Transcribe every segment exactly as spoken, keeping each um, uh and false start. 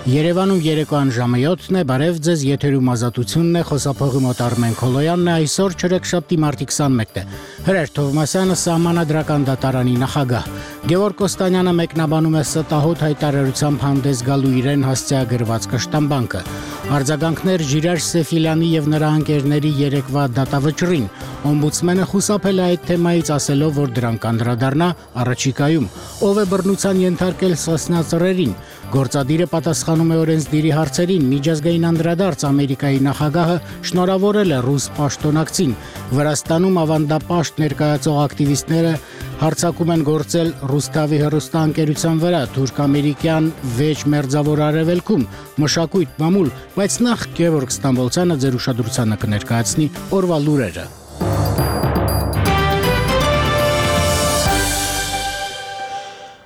Երևանում երեկոյան ժամը յոթն է, բարև ձեզ, եթերում ազատությունն է, խոսափողի մոտ Արմեն Քոլոյանն է, այսօր չորեքշաբթի մարտի քսանմեկն է։ Հրեր Թովմասյանը Սահմանադրական դատարանի նախագահ։ Գևորգ Կոստանյանը մեկնաբանում է ստահոդ հայտարարությամբ հանդես գալու իրեն հասցեագրված կշտամբանքը։ Արձագանքներ Ժիրայր Սեֆիլյանի եւ նրա ընկերների երեկվա դատավճռին։ Օմբուդսմենը խուսափել է այդ թեմայից, ասելով, որ դրան կանդրադառնա առաջիկայում։ Ով է բռնության ենթարկել սասնածռերին։ Գործադիրը պատասխանում է օրենսդիրի հարցերին, միջազգային անդրադարձ Ամերիկայի նախագահը շնորհավորել է ռուս պաշտոնակցին։ Վրաստանում ավանդապաշտ ներկայացող ակտիվիստները հարձակում են գործել Ռուսթավի հեռուստաընկերության վրա, թուրք-ամերիկյան վեճ մերձավոր արևելքում, մշակույթ, մամուլ, բայց նախ Գևորգ Ստամբոլցյանը ձեր ուշադրությանը կներկայացնի օրվա լուրերը։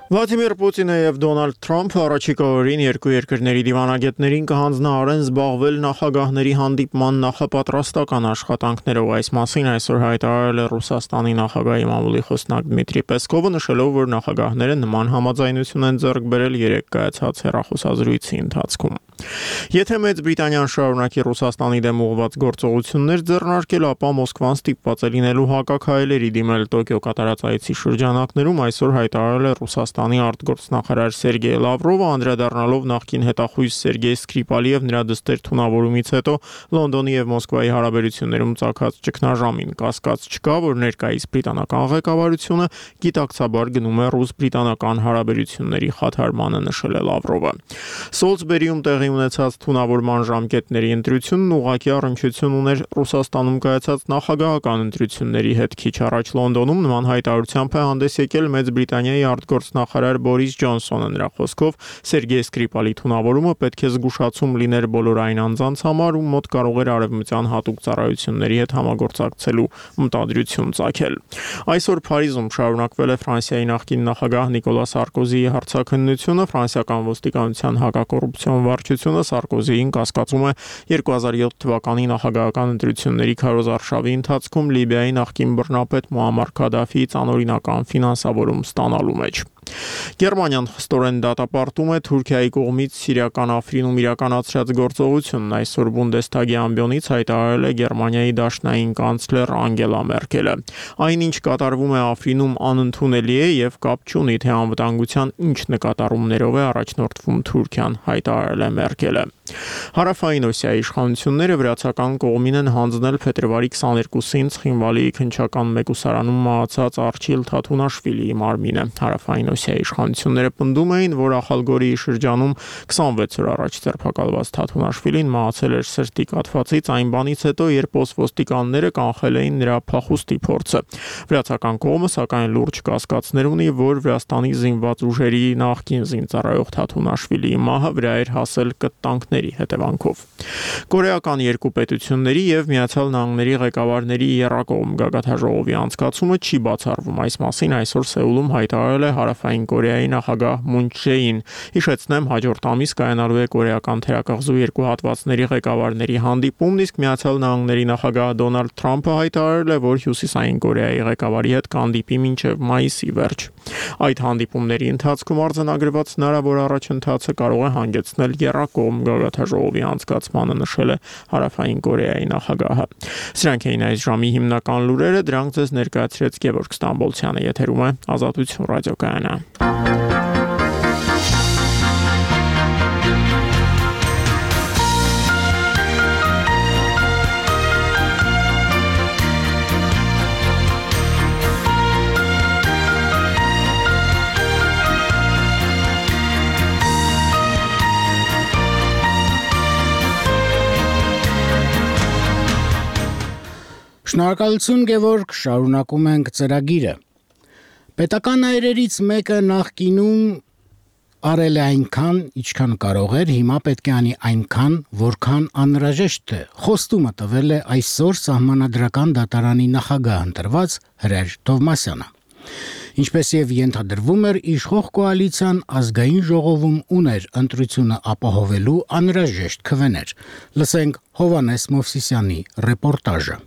Վլադիմիր Պուտինը եւ Դոնալդ Թրամփը առաջիկա օրերին երկու երկրների դիվանագետներին կհանձնարարեն զբաղվել նախագահների հանդիպման նախապատրաստական աշխատանքներով։ Այս մասին այսօր հայտարարել է Ռուսաստանի նախագահի մամուլի խոսնակ Դմիտրի Պեսկովը, նշելով, որ նախագահները նման համաձայնություն են ձեռք բերել երեկ կայացած հեռախոսազրույցի ընթացքում։ Եթե Մեծ Բրիտանիան շարունակի Ռուսաստանի դեմ ուղղված գործողություններ ձեռնարկել, ապա Մոսկվան ստիպված է լինելու հակաքայլերի դիմել Տոկիո կատարած այցի շրջանակներում, այսօր հայտարարել է Ռուսաստանի արտգործնախարար Սերգեյ Լավրովը, անդրադառնալով նախկին հետախույզ Սերգեյ Սկրիպալի եւ նրա դստեր թունավորումից հետո Լոնդոնի եւ Մոսկվայի հարաբերություններում ծագած ճգնաժամին։ Կասկած չկա, որ ներկայիս բրիտանական ղեկավարությունը գիտակցաբար գնում է ռուս-բրիտանական հարաբերությունների խաթարմանը, նշել է Լավրովը։ Սոլսբերիում տեղի ունեցած թունավորման ժամկետների ընտրությունն ուղղակի առնչություն ուներ Ռուսաստանում կայացած նախագահական ընտրությունների հետ։ Քիչ առաջ Լոնդոնում նման հայտարարությամբ է հանդես եկել Մեծ Բրիտանիայի արտգործնախարար Բորիս Ջոնսոնը։ Նրա խոսքով Սերգեյ Սկրիպալի թունավորումը պետք է զգուշացում լիներ բոլոր այն անձանց համար, ում մոտ կարող էր արևմտյան հատուկ ծառայությունների հետ համագործակցելու մտադրություն ծագել։ Այսօր Փարիզում շարունակվել է Ֆրանսիայի նախկին նախագահ Նիկոլա Սարկոզիի հարցաքննությունը։ Ֆրանսիական ոստիկանության հակակոռուպցիոն վարչությունը Սարկոզիին կասկածում է երկու հազար յոթ թվականի նախագահական ընտրությունների քարոզարշավի ընթացքում Լիբիայի նախկին բռնապետ Մուամմար Քադաֆիից անօրինական ֆինանսավորում ստանալու մեջ։ Գերմանիան խստորեն դատապարտում է Թուրքիայի կողմից Սիրիական Աֆրինում իրականացրած գործողությունն։ Այսօր Բունդեսթագի ամբիոնից հայտարարել է Գերմանիայի դաշնային կանցլեր Անգելա Մերկելը։ Այնինչ կատարվում է Աֆրինում անընդունելի է եւ կապ չունի, թե անվտանգության ինչ նկատառումներով է առաջնորդվում Թուրքիան, հայտարարել է Մերկելը։ Հարավային Օսիայի իշխանությունները վրացական կողմին են հանձնել փետրվարի քսաներկուսին Ცხինվալիի քնչական մեկուսարանում մահացած Արչիլ Թաթունաշվիլիի մարմինը։ Հարավային Օսիայի իշխանությունները պնդում էին, որ Ախալգորիի շրջանում քսանվեց օր առաջ ձերբակալված Թաթունաշվիլին մահացել էր սրտի կաթվածից այն բանից հետո, երբ ոստիկանները կանխել էին նրա փախուստի փորձը։ Վրացական կողմը սակայն լուրջ կասկածներ ունի, որ Վրաստանի զինված ուժերի նախկին զինծառայող Թաթունաշվիլիի մահը վրա էր հասել կտանքների հետևանքով։ Կորեական երկու պետությունների եւ Միացյալ Նահանգների ղեկավարների եռակողմ գագաթաժողովի անցկացումը չի բացառվում։ Այս մասին այսօր Սեուլում հայտարարել է Հարավային Կորեայի նախագահ Մուն Չեին։ Հիշեցնեմ, հաջորդ ամիս կայանալու է կորեական թերակղզու երկու հատվածների ղեկավարների հանդիպումն, իսկ Միացյալ Նահանգների նախագահ Դոնալդ Թրամփը հայտարարել է, որ Հյուսիսային Կորեայի ղեկավարի հետ կհանդիպի մինչև մայիսի վերջ։ Այդ հանդիպումների ընթացքում արձանագրված հնարավոր առաջընթացը կարող է հանգեցնել եռակողմ գագաթաժողովի անցկացմանը, նշել է Հարավային Կորեայի նախագահը։ Սրանք էին այս ժամի հիմնական լուրերը, դրանք ձեզ ներկայացրեց Գևորգ Ստամբոլցյանը, եթերում է Ազատություն ռադիոկայանը։ Շնորհակալություն Գևորգ, շարունակում ենք ծրագիրը։ Պետական այրերից մեկը նախկինում արել է այնքան, ինչքան կարող էր, հիմա պետք է անի այնքան, որքան անհրաժեշտ է։ Խոստումը տվել է այսօր Սահմանադրական դատարանի նախագահ ընտրված Հրեր Թովմասյանը։ Ինչպես եւ ենթադրվում էր, իշխող կոալիցիան ազգային ժողովում ուներ ընտրությունը ապահովելու անհրաժեշտ քվեներ։ Լսենք Հովանես Մովսիսյանի ռեպորտաժը։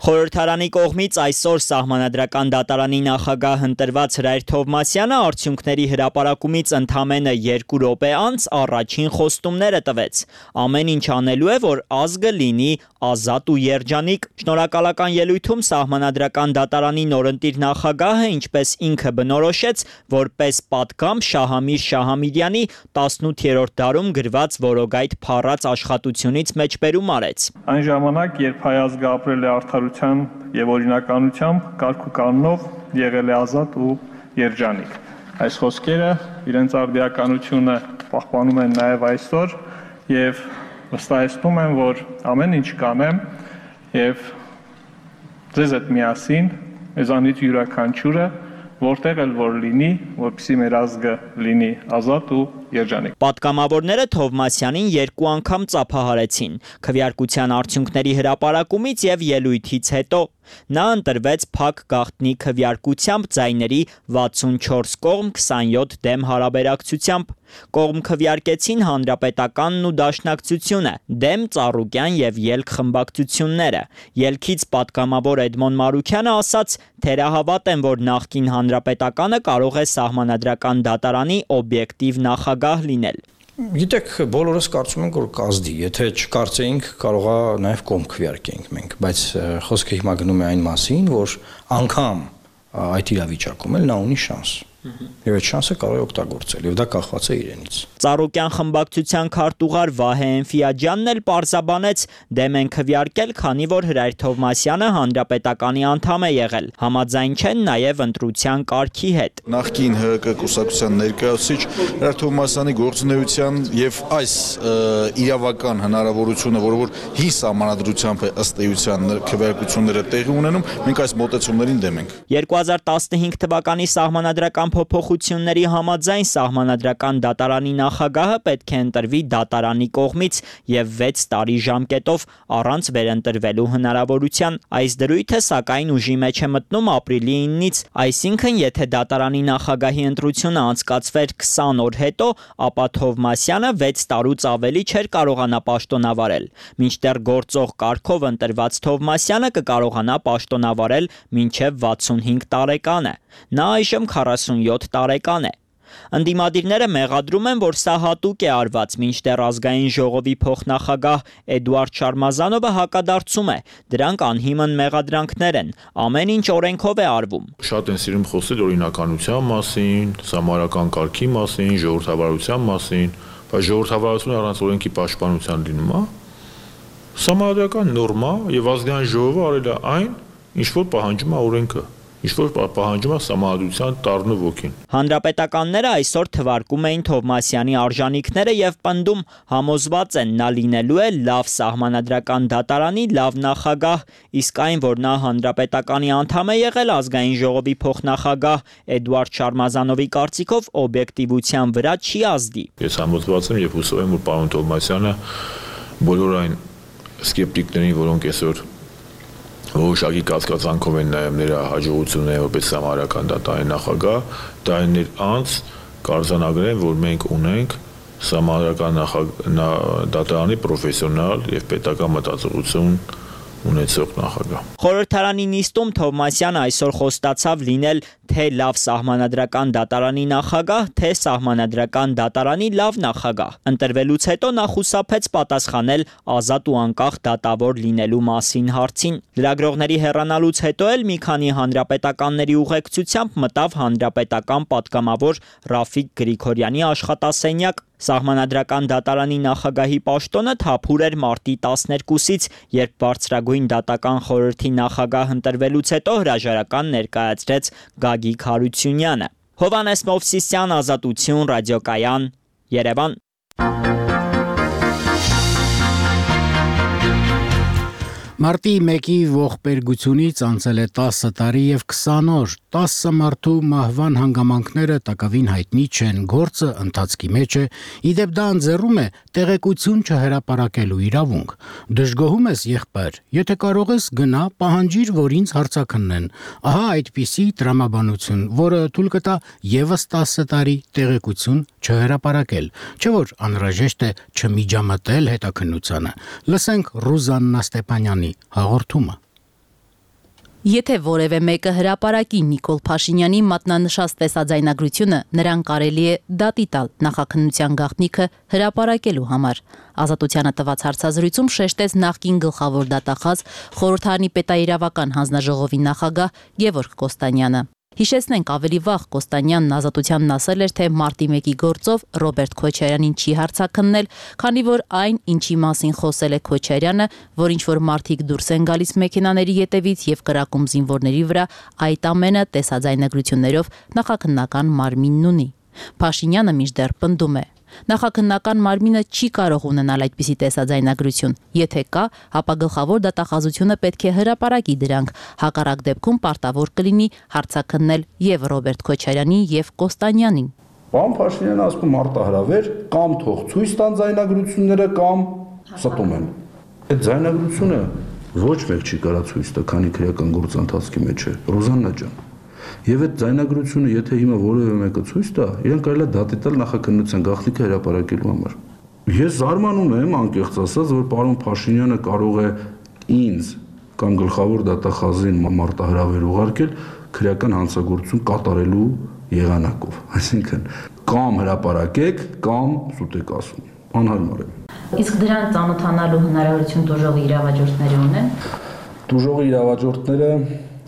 Խորհրդարանի կողմից այսօր Սահմանադրական դատարանի նախագահ ընտրված Հրայր Թովմասյանը արդյունքների հրապարակումից ընդամենը երկու րոպե անց առաջին խոստումները տվեց։ Ամեն ինչ անելու է, որ ազգը լինի ազատ ու երջանիկ։ Շնորհակալական ելույթում Սահմանադրական դատարանի նորընտիր նախագահը, ինչպես ինքը բնորոշեց, որպես պատգամ Շահամիր Շահամիրյանի տասնութերորդ դարում գրված որոգայթ փառած աշխատությունից մեջբերում արեց։ Այն ժամանակ, երբ հայ ազգը ապրել է արդարության եւ օրինականությամբ, կարգ ու կանոնով եղել է ազատ ու երջանիկ։ Այս խոսքերը իրենց արդիականությունը պահպանում են նաեւ այսօր եւ վստահեցնում են, որ ամեն ինչ կանեմ եւ ձեզ հետ միասին, մեզանից յուրաքանչյուրը որտեղ էլ որ լինի, որպեսզի մեր ազգը լինի ազատ ու երջանիկ։ Պատգամավորները Թովմասյանին երկու անգամ ծափահարեցին՝ քվեարկության արդյունքների հրապարակումից եւ ելույթից հետո։ Նա ընտրվեց փակ գաղտնի քվեարկությամբ ձայների վաթսունչորս կողմ քսանյոթ դեմ հարաբերակցությամբ։ Կողմ քվեարկեցին Հանրապետականն ու Դաշնակցությունը, դեմ Ծառուկյան եւ Ելք խմբակցությունները։ Ելքից պատգամավոր Էդմոն Մարուքյանը ասաց. «Թերահավատ եմ, որ նախկին Հանրապետականը կարող է Սահմանադրական դատարանի օբյեկտիվ նախագահ լինել»։ Գիտեք, բոլորս կարծում ենք, որ կազդի, եթե չկարծեինք, կարողա նաև կողմ քվեարկենք մենք, բայց խոսքը հիմա գնում է այն մասին, որ անգամ այդ իրավիճակում էլ նա ունի շանս։ Եվ այդ շանսը կարող է օգտագործել, եւ դա կախված է իրենից։ Ծառուկյան խմբակցության քարտուղար Վահե Էնֆիաջյանն էլ պարզաբանեց, դեմ են քվեարկել, քանի որ Հրայր Թովմասյանը Հանրապետականի անդամ է եղել, համաձայն չեն նաև ընտրության կարգի հետ։ Նախկին ՀՀԿ կուսակցության ներկայացուցիչ Հրայր Թովմասյանի գործունեության եւ այս իրավական հնարավորությունը, որը որ հին սահմանադրությամբ է ըստ էության քվեարկությունները տեղի ունենում, մենք այս մոտեցումներին դեմ ենք։ երկու հազար տասնհինգ թվականի սահմանադրական փոփոխությունների համաձայն Սահմանադրական դատարանի նախագահը պետք է ընտրվի դատարանի կողմից եւ վեց տարի ժամկետով առանց վերընտրվելու հնարավորության։ Այս դրույթը սակայն ուժի մեջ է մտնում ապրիլի իննից, այսինքն եթե դատարանի նախագահի ընտրությունը անցկացվեր քսան օր հետո, ապա Թովմասյանը վեց տարուց ավելի չէր կարողանա պաշտոնավարել։ Մինչդեռ գործող կարգով ընտրված Թովմասյանը կկարողանա պաշտոնավարել մինչև վաթսունհինգ տարեկանը։ Նա այժմ քառասունյոթ տարեկան է։ Ընդդիմադիրները մեղադրում են, որ սա հատուկ է արված, մինչդեռ ազգային ժողովի փոխնախագահ Էդուարդ Շարմազանովը հակադարձում է։ Դրանք անհիմն մեղադրանքներ են, ամեն ինչ օրենքով է արվում։ Շատ են սիրում խոսել օրինականության մասին, սահմանադրական կարգի մասին, ժողովրդավարության մասին, բայց ժողովրդավարությունը առանց օրենքի պաշտպանության լինում է։ Սահմանադրական նորմա եւ ազգային ժողովը արել է այն, ինչ որ պահանջում է օրենքը։ Ինչ-որ պահանջում է սահմանադրության տառն ու ոգին։ Հանրապետականները այսօր թվարկում էին Թովմասյանի արժանինքները եւ պնդում, համոզված են նա լինելու է լավ Սահմանադրական դատարանի լավ նախագահ, իսկ այն, որ նա Հանրապետականի անդամ է եղել, ազգային ժողովի փոխնախագահ Էդուարդ Շարմազանովի կարծիքով օբյեկտիվության վրա չի ազդի։ Ես համոզված եմ եւ հուսով եմ, որ պարոն Թովմասյանը բոլոր այն սկեպտիկներին, որոնք այսօր որոշակի կասկածանքով են նաև նրա հաջողությունները որպես Սահմանադրական դատարանի նախագահ, տարիներ անց կարձանագրեն, որ մենք ունենք Սահմանադրական դատարանի պրոֆեսիոնալ եւ պետական մտածողություն ունեցող նախագահ։ Խորհրդարանի նիստում Թովմասյանը այսօր խոստացավ լինել թե լավ Սահմանադրական դատարանի նախագահ, թե Սահմանադրական դատարանի լավ նախագահ։ Ընտրվելուց հետո նա խուսափեց պատասխանել ազատ ու անկախ դատավոր լինելու մասին հարցին։ Լրագրողների հեռանալուց հետո էլ մի քանի հանրապետականների ուղեկցությամբ մտավ հանրապետական պատգամավոր Ռաֆիկ Գրիգորյանի աշխատասենյակ։ Սահմանադրական դատարանի նախագահի պաշտոնը թափուր էր մարտի տասներկուսից, երբ բարձրագույն դատական խորհրդի նախագահ ընտրվելուց հետո հրաժարական ներկայացրեց Գագիկ Հարությունյանը։ Հովհաննես Մովսիսյան, Ազատություն, Ռադիոկայան, Երևան։ Մարտի մեկի ողբերգությունից անցել է տասը տարի եւ քսան օր, տասը մարդու մահվան հանգամանքները տակավին հայտնի չեն, գործը ընթացքի մեջ է, իդեպ դա ընձեռում է տեղեկություն չհրապարակելու իրավունք։ Դժգոհում ես, եղբայր, եթե կարող ես գնա, պահանջիր, որ ինձ հարցաքննեն։ Ահա այդպիսի տրամաբանություն, որը թույլ կտա եւս տասը տարի տեղեկություն չհրապարակել, չէ՞ որ անհրաժեշտ է չմիջամտել հետաքննությանը։ Լսենք Ռուզաննա Ստեփանյանի հաղորդումը։ Եթե որևէ մեկը հրապարակի Նիկոլ Փաշինյանի մատնանշած տեսաձայնագրությունը, նրան կարելի է դատի տալ նախաքննության գաղտնիքը հրապարակելու համար։ Ազատությանը տված հարցազրույցում շեշտեց նախկին գլխավոր դատախազ խորհրդարանի պետաիրավական հանձնաժողովի նախագահ Գևորգ Կոստանյանը։ Հիշեցնենք, ավելի վաղ Կոստանյանն Ազատությանն ասել էր, թե մարտի մեկի գործով Ռոբերտ Քոչարյանին չի հարցաքննել, քանի որ այն, ինչի մասին խոսել է Քոչարյանը, որ ինչ-որ մարդիկ դուրս են գալիս մեքենաների ետևից եւ կրակում զինվորների վրա, այդ ամենը տեսաձայնագրություններով նախաքննական մարմինն ունի։ Փաշինյանը մինչդեռ պնդում է. Նախաքննական մարմինը չի կարող ունենալ այդպիսի տեսաձայնագրություն։ Եթե կա, ապա գլխավոր դատախազությունը պետք է հրապարակի դրանք։ Հակառակ դեպքում պարտավոր կլինի հարցաքննել եւ Ռոբերտ Քոչարյանին եւ Կոստանյանին։ Պարոն Փաշինյանը ասում մարտահրավեր կամ թող ցույց տան ձայնագրությունները կամ ստում են։ Այդ ձայնագրությունը ոչ մեկ չի կարա ցույց տա, քանի քրեական գործընթացի մեջ է։ Ռոզաննա ջան։ Եվ այդ ձայնագրությունը, եթե հիմա որևէ մեկը ցույց տա, իրեն կարելի է դատի տալ նախաքննության գաղտնիքը հրապարակելու համար։ Ես զարմանում եմ, անկեղծ ասած, որ պարոն Փաշինյանը կարող է ինձ կամ գլխավոր դատախազին մարտահրավեր ուղարկել քրեական հանցագործություն կատարելու եղանակով։ Այսինքն, կամ հրապարակեք, կամ սուտեք ասում։ Անհարմար է։ Իսկ դրան ծանոթանալու հնարավորություն դժողի իրավաճորտները ունեն։ Դժողի իրավաճորտները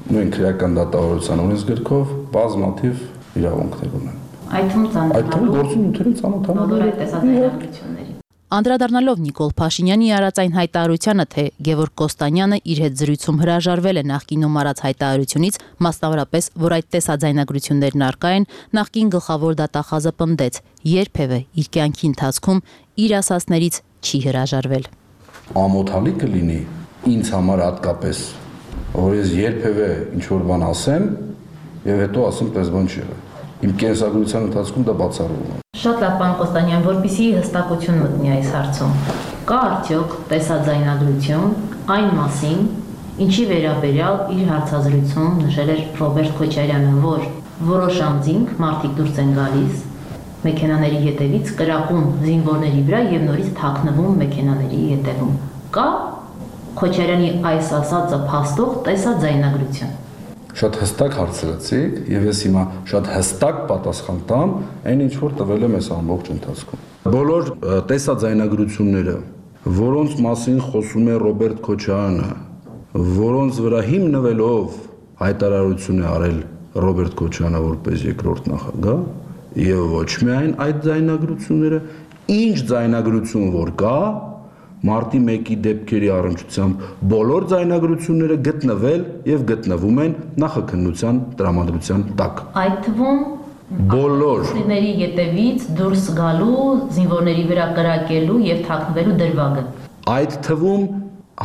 նույն քրեական դատավարության օրենսգրքով բազմաթիվ իրավունքներ ունեն։ Այդ թվում ծանոթանալու գործի նյութերին ծանոթանալու բոլոր այդ տեսաձայնագրությունների։ Անդրադառնալով Նիկոլ Փաշինյանի արած այն հայտարարությանը, թե Գևորգ Կոստանյանը իր հետ զրույցում հրաժարվել է նախկինում արած հայտարարությունից, մասնավորապես, որ այդ տեսաձայնագրություններն առկա են, նախկին գլխավոր դատախազը պնդեց, երբևէ իր կյանքի ընթացքում իր ասածներից չի հրաժարվել։ Ամոթալի կլինի ինձ համար հատկապես, որ ես երբևէ ինչ-որ բան ասեմ եւ հետո ասեմ, պես բան չի եղել։ Իմ կենսագրության ընթացքում դա բացառվում է։ Շատ լավ, պարոն Կոստանյան, որպեսզի հստակություն մտնի այս հարցում։ Կա արդյոք տեսաձայնագրություն այն մասին, ինչի վերաբերյալ իր հարցազրույցում նշել էր Ռոբերտ Քոչարյանը, որ որոշ անձինք մարդիկ դուրս են գալիս մեքենաների ետևից, կրակում զինվորների վրա եւ նորից թաքնվում մեքենաների ետևում։ Կա Քոչարյանի այս ասածը փաստող տեսաձայնագրություն։ Շատ հստակ հարցրեցիք եւ ես հիմա շատ հստակ պատասխան տամ այն ինչ որ տվել եմ այս ամբողջ ընթացքում։ Բոլոր տեսաձայնագրությունները, որոնց մասին խոսում է Ռոբերտ Քոչարյանը, որոնց վրա հիմնվելով հայտարարություն է արել Ռոբերտ Քոչարյանը որպես երկրորդ նախագահ, եւ ոչ միայն այդ ձայնագրությունները, ինչ ձայնագրություն որ կա, մարտի մեկի դեպքերի առնչությամբ բոլոր ձայնագրությունները գտնվել եւ գտնվում են նախաքննության տրամադրության տակ։ Այդ թվում բոլոր զինվորների ետևից դուրս գալու, զինվորների վրա կրակելու եւ թաքնվելու դրվագը։ Այդ թվում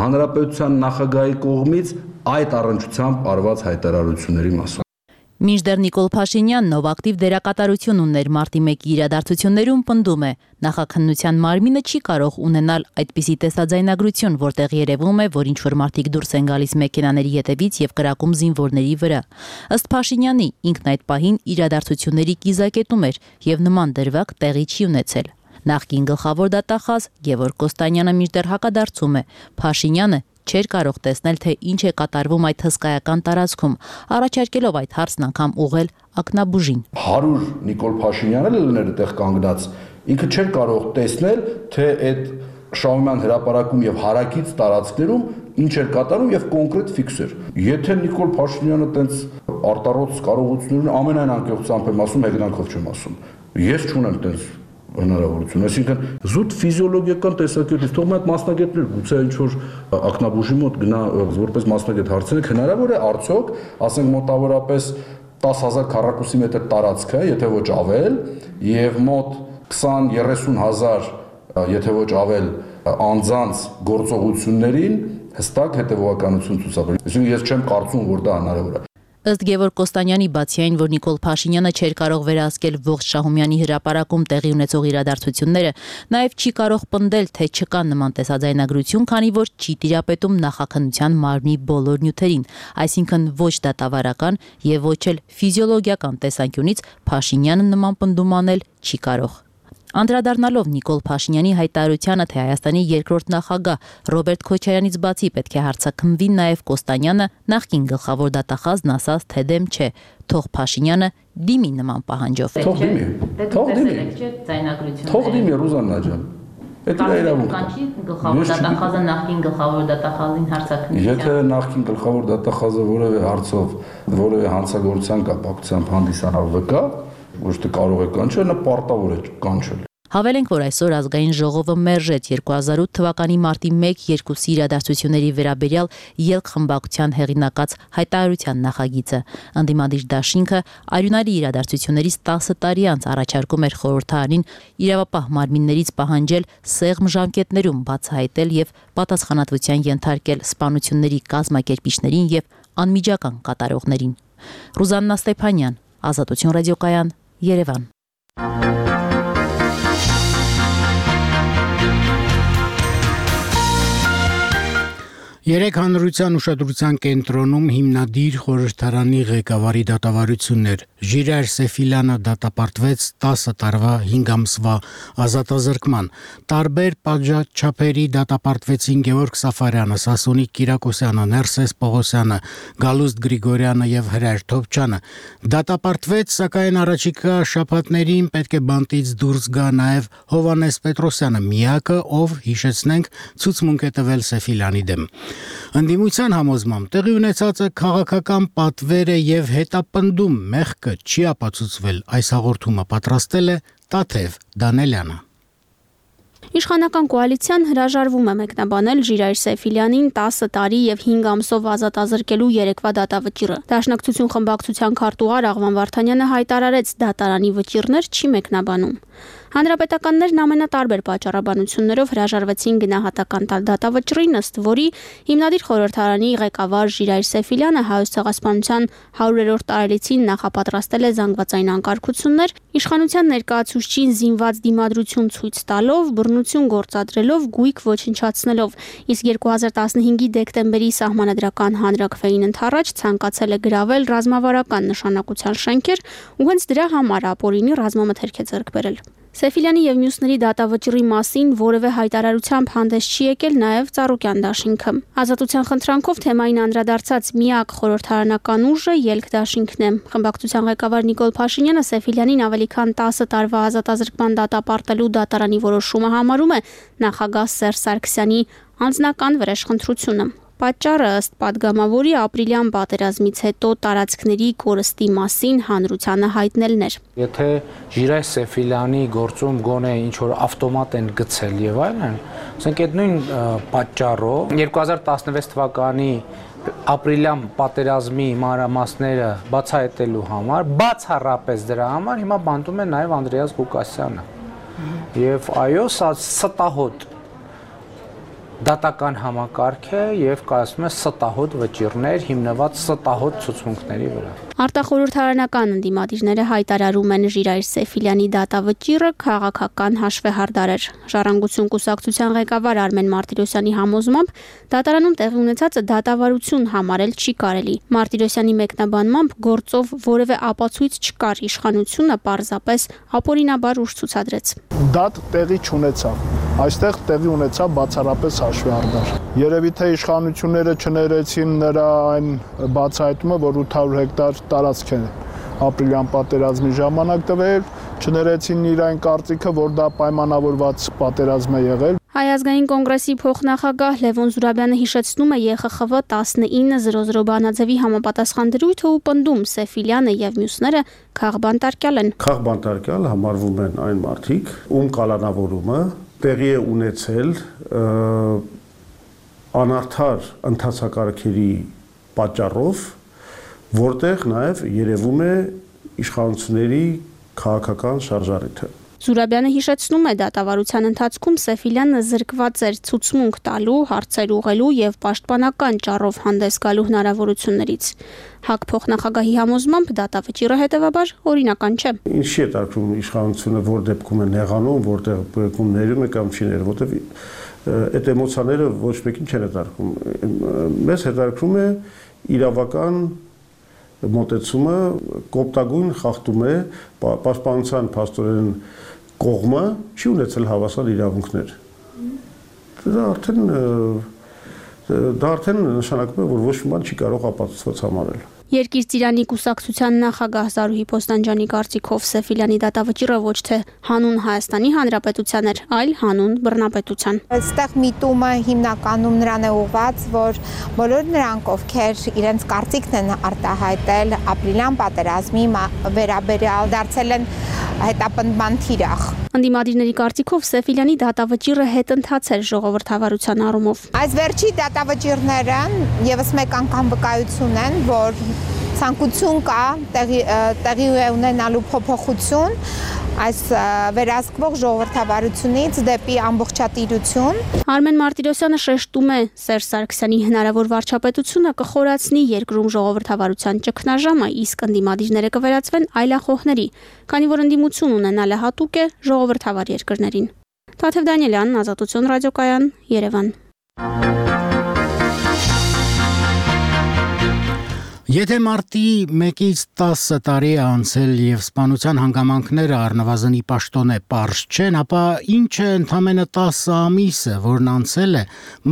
հանրապետության նախագահի կողմից այդ առնչությամբ արված հայտարարությունների մասին։ Մինչդեռ Նիկոլ Փաշինյանն, ով ակտիվ դերակատարություն ուներ մարտի մեկի իրադարձություններում, պնդում է, նախաքննության մարմինը չի կարող ունենալ այդպիսի տեսաձայնագրություն, որտեղ երևում է, որ ինչ-որ մարդիկ դուրս են գալիս մեքենաների ետևից եւ կրակում զինվորների վրա։ Ըստ Փաշինյանի, ինքն այդ պահին իրադարձությունների կիզակետում էր եւ նման դրվագ տեղի չի ունեցել։ Նախկին գլխավոր դատախազ Գևորգ Կոստանյանը մինչդեռ հակադարձում է, Փաշինյանը չէր կարող տեսնել, թե ինչ է կատարվում այդ հսկայական տարածքում, առաջարկելով այդ հարցն անգամ ուղղել ակնաբուժին։ հարյուր Նիկոլ Փաշինյանը լներ այդտեղ կանգնած, ինքը չէր կարող տեսնել, թե այդ շահումյան հրապարակում եւ հարակից տարածքներում ինչ էր կատարում եւ կոնկրետ ֆիքս էր։ Եթե Նիկոլ Փաշինյանը տենց արտառոց կարողություններ ամենայն անկեղծությամբ եմ ասում, հեգնանքով չեմ ասում։ Ես չունեմ տենց հնարավորություն, այսինքն զուտ ֆիզիոլոգիական տեսակետից թող այդ մասնագետներ գուցե ինչ որ ակնաբուժի մոտ գնա որպես մասնագետ հարցնեք, հնարավոր է արդյոք, ասենք մոտավորապես տասը հազար քառակուսի մետր տարածքը, եթե ոչ ավել, եւ մոտ քսան երեսուն հազար, եթե ոչ ավել անձանց գործողություններին հստակ հետևողականություն ցուցաբերել։ Այսինքն ես չեմ կարծում, որ դա հնարավոր է։ Ըստ Գևորգ Կոստանյանի, բացի այն, որ Նիկոլ Փաշինյանը չէր կարող վերահսկել ողջ Շահումյանի հրապարակում տեղի ունեցող իրադարձությունները, նաև չի կարող պնդել, թե չկա նման տեսաձայնագրություն, քանի որ չի տիրապետում նախաքննության մարմնի բոլոր նյութերին, այսինքն ոչ դատավարական եւ ոչ էլ ֆիզիոլոգիական տեսանկյունից Փաշինյանը նման պնդում անել չի կարող։ Անդրադառնալով Նիկոլ Փաշինյանի հայտարարությանը, թե Հայաստանի երկրորդ նախագահ Ռոբերտ Քոչարյանից բացի պետք է հարցաքննվի նաև Կոստանյանը, նախկին գլխավոր դատախազն ասաց, թե դեմ չէ, թող Փաշինյանը դիմի նման պահանջով։ Թող դիմի։ Թող դիմի։ Թող դիմի Ռուզաննա ջան։ Դա իրավունք է։ Գլխավոր դատախազը նախկին գլխավոր դատախազին հարցաքննության։ Եթե նախկին գլխավոր դատախազը որևէ հարցով որևէ հանցագործության կապակցությամբ հանդիսանալ վկա, ոչ թե կարող է կանչել, նա պարտավոր է կանչել։ Հավելենք, որ այսօր ազգային ժողովը մերժեց երկու հազար ութ թվականի մարտի մեկ-երկուսի իրադարձությունների վերաբերյալ ելք խմբակցության հեղինակած հայտարարության նախագիծը։ Ընդդիմադիր դաշինքը արյունարի իրադարձություններից տասը տարի անց առաջարկում էր խորհրդարանին իրավապահ մարմիններից պահանջել սեղմ ժամկետներում բացահայտել եւ պատասխանատվության ենթարկել սպանությունների կազմակերպիչներին եւ անմիջական կատարողներին։ Ռուզաննա Ստեփանյան, Ազատություն ռադիոկայան, Երևան։ Երեք հանրության ուշադրության կենտրոնում հիմնադիր խորհրդարանի ղեկավարի դատավարություններ։ Ժիրայր Սեֆիլյանը դատապարտվեց տասը տարվա հինգ ամսվա ազատազրկման։ Տարբեր պատժաչափերի դատապարտվեցին Գևորգ Սաֆարյանը, Սասունիկ Կիրակոսյանը, Ներսես Պողոսյանը, Գալուստ Գրիգորյանը եւ Հրայր Թոփչյանը։ Դատապարտվեց, սակայն առաջիկա շաբաթներին պետք է բանտից դուրս գա նաեւ Հովհաննես Պետրոսյանը, միակը, ով, հիշեցնենք, ցուցմունք է տվել Սեֆիլյանի դեմ։ Ընդդիմության համոզմամբ տեղի ունեցածը քաղաքական պատվեր է եւ հետապնդում մեղքը չի ապացուցվել, այս հաղորդումը պատրաստել է Տաթև Դանելյանը։ Իշխանական կոալիցիան հրաժարվում է մեկնաբանել Ժիրայր Սեֆիլյանին տասը տարի եւ հինգ ամսով ազատազրկելու երեկվա դատավճիռը։ Դաշնակցություն խմբակցության քարտուղար Աղվան Վարդանյանը հայտարարեց, դատարանի վճիռներ չի մեկնաբանում։ Հանրապետականներն ամենատարբեր պատճառաբանություններով հրաժարվեցին գնահատական տալ դատավճռին, ըստ որի հիմնադիր խորհրդարանի ղեկավար Ժիրայր Սեֆիլյանը Հայոց ցեղասպանության հարյուրերորդ տարելիցին նախապատրաստել է զանգվածային անկարգություններ, իշխանության ներկայացուցչին զինված դիմադրություն ցույց տալով, բռնություն գործադրելով, գույք ոչնչացնելով, իսկ երկու հազար տասնհինգի դեկտեմբերի սահմանադրական հանրաքվեին ընդառաջ ցանկացել է գրավել ռազմավարական նշանակության շենքեր ու հենց դրա համար ապօրինի ռազմամթերք է ձեռք բերել։ Սեֆիլյանի եւ մյուսների դատավճռի մասին որևէ հայտարարությամբ հանդես չի եկել նաեւ Ծառուկյան դաշինքը։ Ազատության խնդրանքով թեմային անդրադարձած միակ խորհրդարանական ուժը Ելք դաշինքն է։ Խմբակցության ղեկավար Նիկոլ Փաշինյանը Սեֆիլյանին ավելի քան տասը տարվա ազատազրկման դատապարտելու դատարանի որոշումը համարում է նախագահ Սերժ Սարգսյանի անձնական վրեժխնդրությունը։ Պատճառը ըստ падգամավորի ապրիլյան պատերազմից հետո տարածքների կորստի մասին հանրությանը հայտնելն էր։ Եթե Ժիրայր Սեֆիլյանի գործում գոնե ինչ-որ ավտոմատ են գցել եւ այլն, ասենք այդ նույն պատճառով երկու հազար տասնվեց թվականի ապրիլյան պատերազմի մանրամասները բացահայտելու համար, բացառապես դրա համար հիմա բանտում է նաեւ Անդրեաս Ղուկասյանը։ Եվ այո, սա ստահոդ դատական համակարգ է եւ կայացնում է ստահոդ վճիռներ հիմնված ստահոդ ցուցմունքների վրա։ Արտախորհրդարանական ընդդիմադիրները հայտարարում են Ժիրայր Սեֆիլյանի դատավճիռը քաղաքական հաշվեհարդար էր։ Ժառանգություն կուսակցության ղեկավար Արմեն Մարտիրոսյանի համոզմամբ դատարանում տեղի ունեցածը դատավարություն համարել չի կարելի։ Մարտիրոսյանի մեկնաբանմամբ գործով որևէ ապացույց չկար, իշխանությունը պարզապես ապօրինաբար ուժ ցուցադրեց։ Դատ տեղի չունեցավ։ Այստեղ տեղի ունեցավ բացառապես հաշվեհարդար։ Երևի թե իշխանությունները չներեցին նրա այն բացահայտումը, որ ութ հարյուր հեկտար տարածք է ապրիլյան պատերազմի ժամանակ տվել, չներեցին իր այն կարծիքը, որ դա պայմանավորված պատերազմ է եղել։ Հայ ազգային կոնգրեսի փոխնախագահ Լևոն Զուրաբյանը հիշեցնում է Ե Խ Խ Վ տասնինը զրո զրո բանաձևի համապատասխան դրույթը ու պնդում Սեֆիլյանը եւ մյուսները քաղբանտարկյալ են։ Քաղբանտարկյալ համարվում են այն մարդիկ, ում կալանավորումը տեղի է ունեցել անարդար ընթացակարգերի պատճառով, որտեղ նաև երևում է իշխանությունների քաղաքական շարժառիթը։ Զուրաբյանը հիշեցնում է դատավարության ընթացքում Սեֆիլյանը զրկված էր ցուցմունք տալու, հարցեր ուղղելու եւ պաշտպանական ճառով հանդես գալու հնարավորություններից։ ՀԱԿ փոխնախագահի համոզմամբ դատավճիռը հետեւաբար օրինական չէ։ Ինչի է տարգում իշխանությունը, որ դեպքում է նեղանում, որտեղ բեկում ներում է կամ չի ներում, որտեղ այդ էմոցիաները ոչ մեկին չեն հետարկում։ Մեզ հետարկում է իրավական մոտեցումը, կոպտագույն խախտում է պաշտպանության փաստորեն կողմը չի ունեցել հավասար իրավունքներ։ Դա արդեն դա արդեն նշանակում է, որ ոչ մի բան չի կարող ապացուցված համարել։ Երկիր ծիրանի կուսակցության նախագահ Զարուհի Պոստանջյանի կարծիքով Սեֆիլյանի դատավճիռը ոչ թե հանուն Հայաստանի Հանրապետության էր, այլ հանուն բռնապետության։ Այստեղ միտումը հիմնականում նրան է ուղղված, որ բոլոր նրանք, ովքեր իրենց կարծիքն են արտահայտել ապրիլյան պատերազմի վերաբերյալ, դարձել են հետապնդման թիրախ։ Ընդդիմադիրների կարծիքով Սեֆիլյանի դատավճիռը հետընթաց էր ժողովրդավարության առումով։ Այս վերջի դատավճիռները եւս մեկ անգամ վկայություն են, որ ցանկություն կա տեղի տեղի ունենալու փոփոխություն այս վերահսկվող ժողովրդավարությունից դեպի ամբողջատիրություն։ Արմեն Մարտիրոսյանը շեշտում է, Սերժ Սարգսյանի հնարավոր վարչապետությունը կխորացնի երկրում ժողովրդավարության ճգնաժամը, իսկ ընդդիմադիրները կվերածվեն այլախոհների, քանի որ ընդդիմություն ունենալը հատուկ է ժողովրդավար երկրներին։ Թաթև Դանիելյան, Ազատություն ռադիոկայան, Երևան։ Եթե մարտի մեկից տասը տարի է անցել եւ սպանության հանգամանքները առնվազնի պաշտոն է պարզ չեն, ապա ինչ է ընդամենը տասը ամիսը, որն անցել է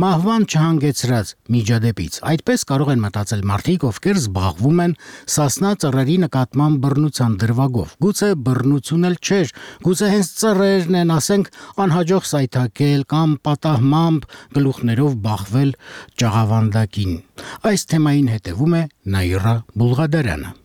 մահվան չհանգեցրած միջադեպից։ Այդպես կարող են մտածել մարդիկ, ովքեր զբաղվում են Սասնա ծռերի նկատմամբ բռնության դրվագով։ Գուցե բռնություն էլ չէր, գուցե հենց ծռերն են, ասենք, անհաջող սայթակել կամ պատահմամբ գլուխներով բախվել ճաղավանդակին։ Այս թեմային հետևում է Նաիրա Բուլղադարյանը։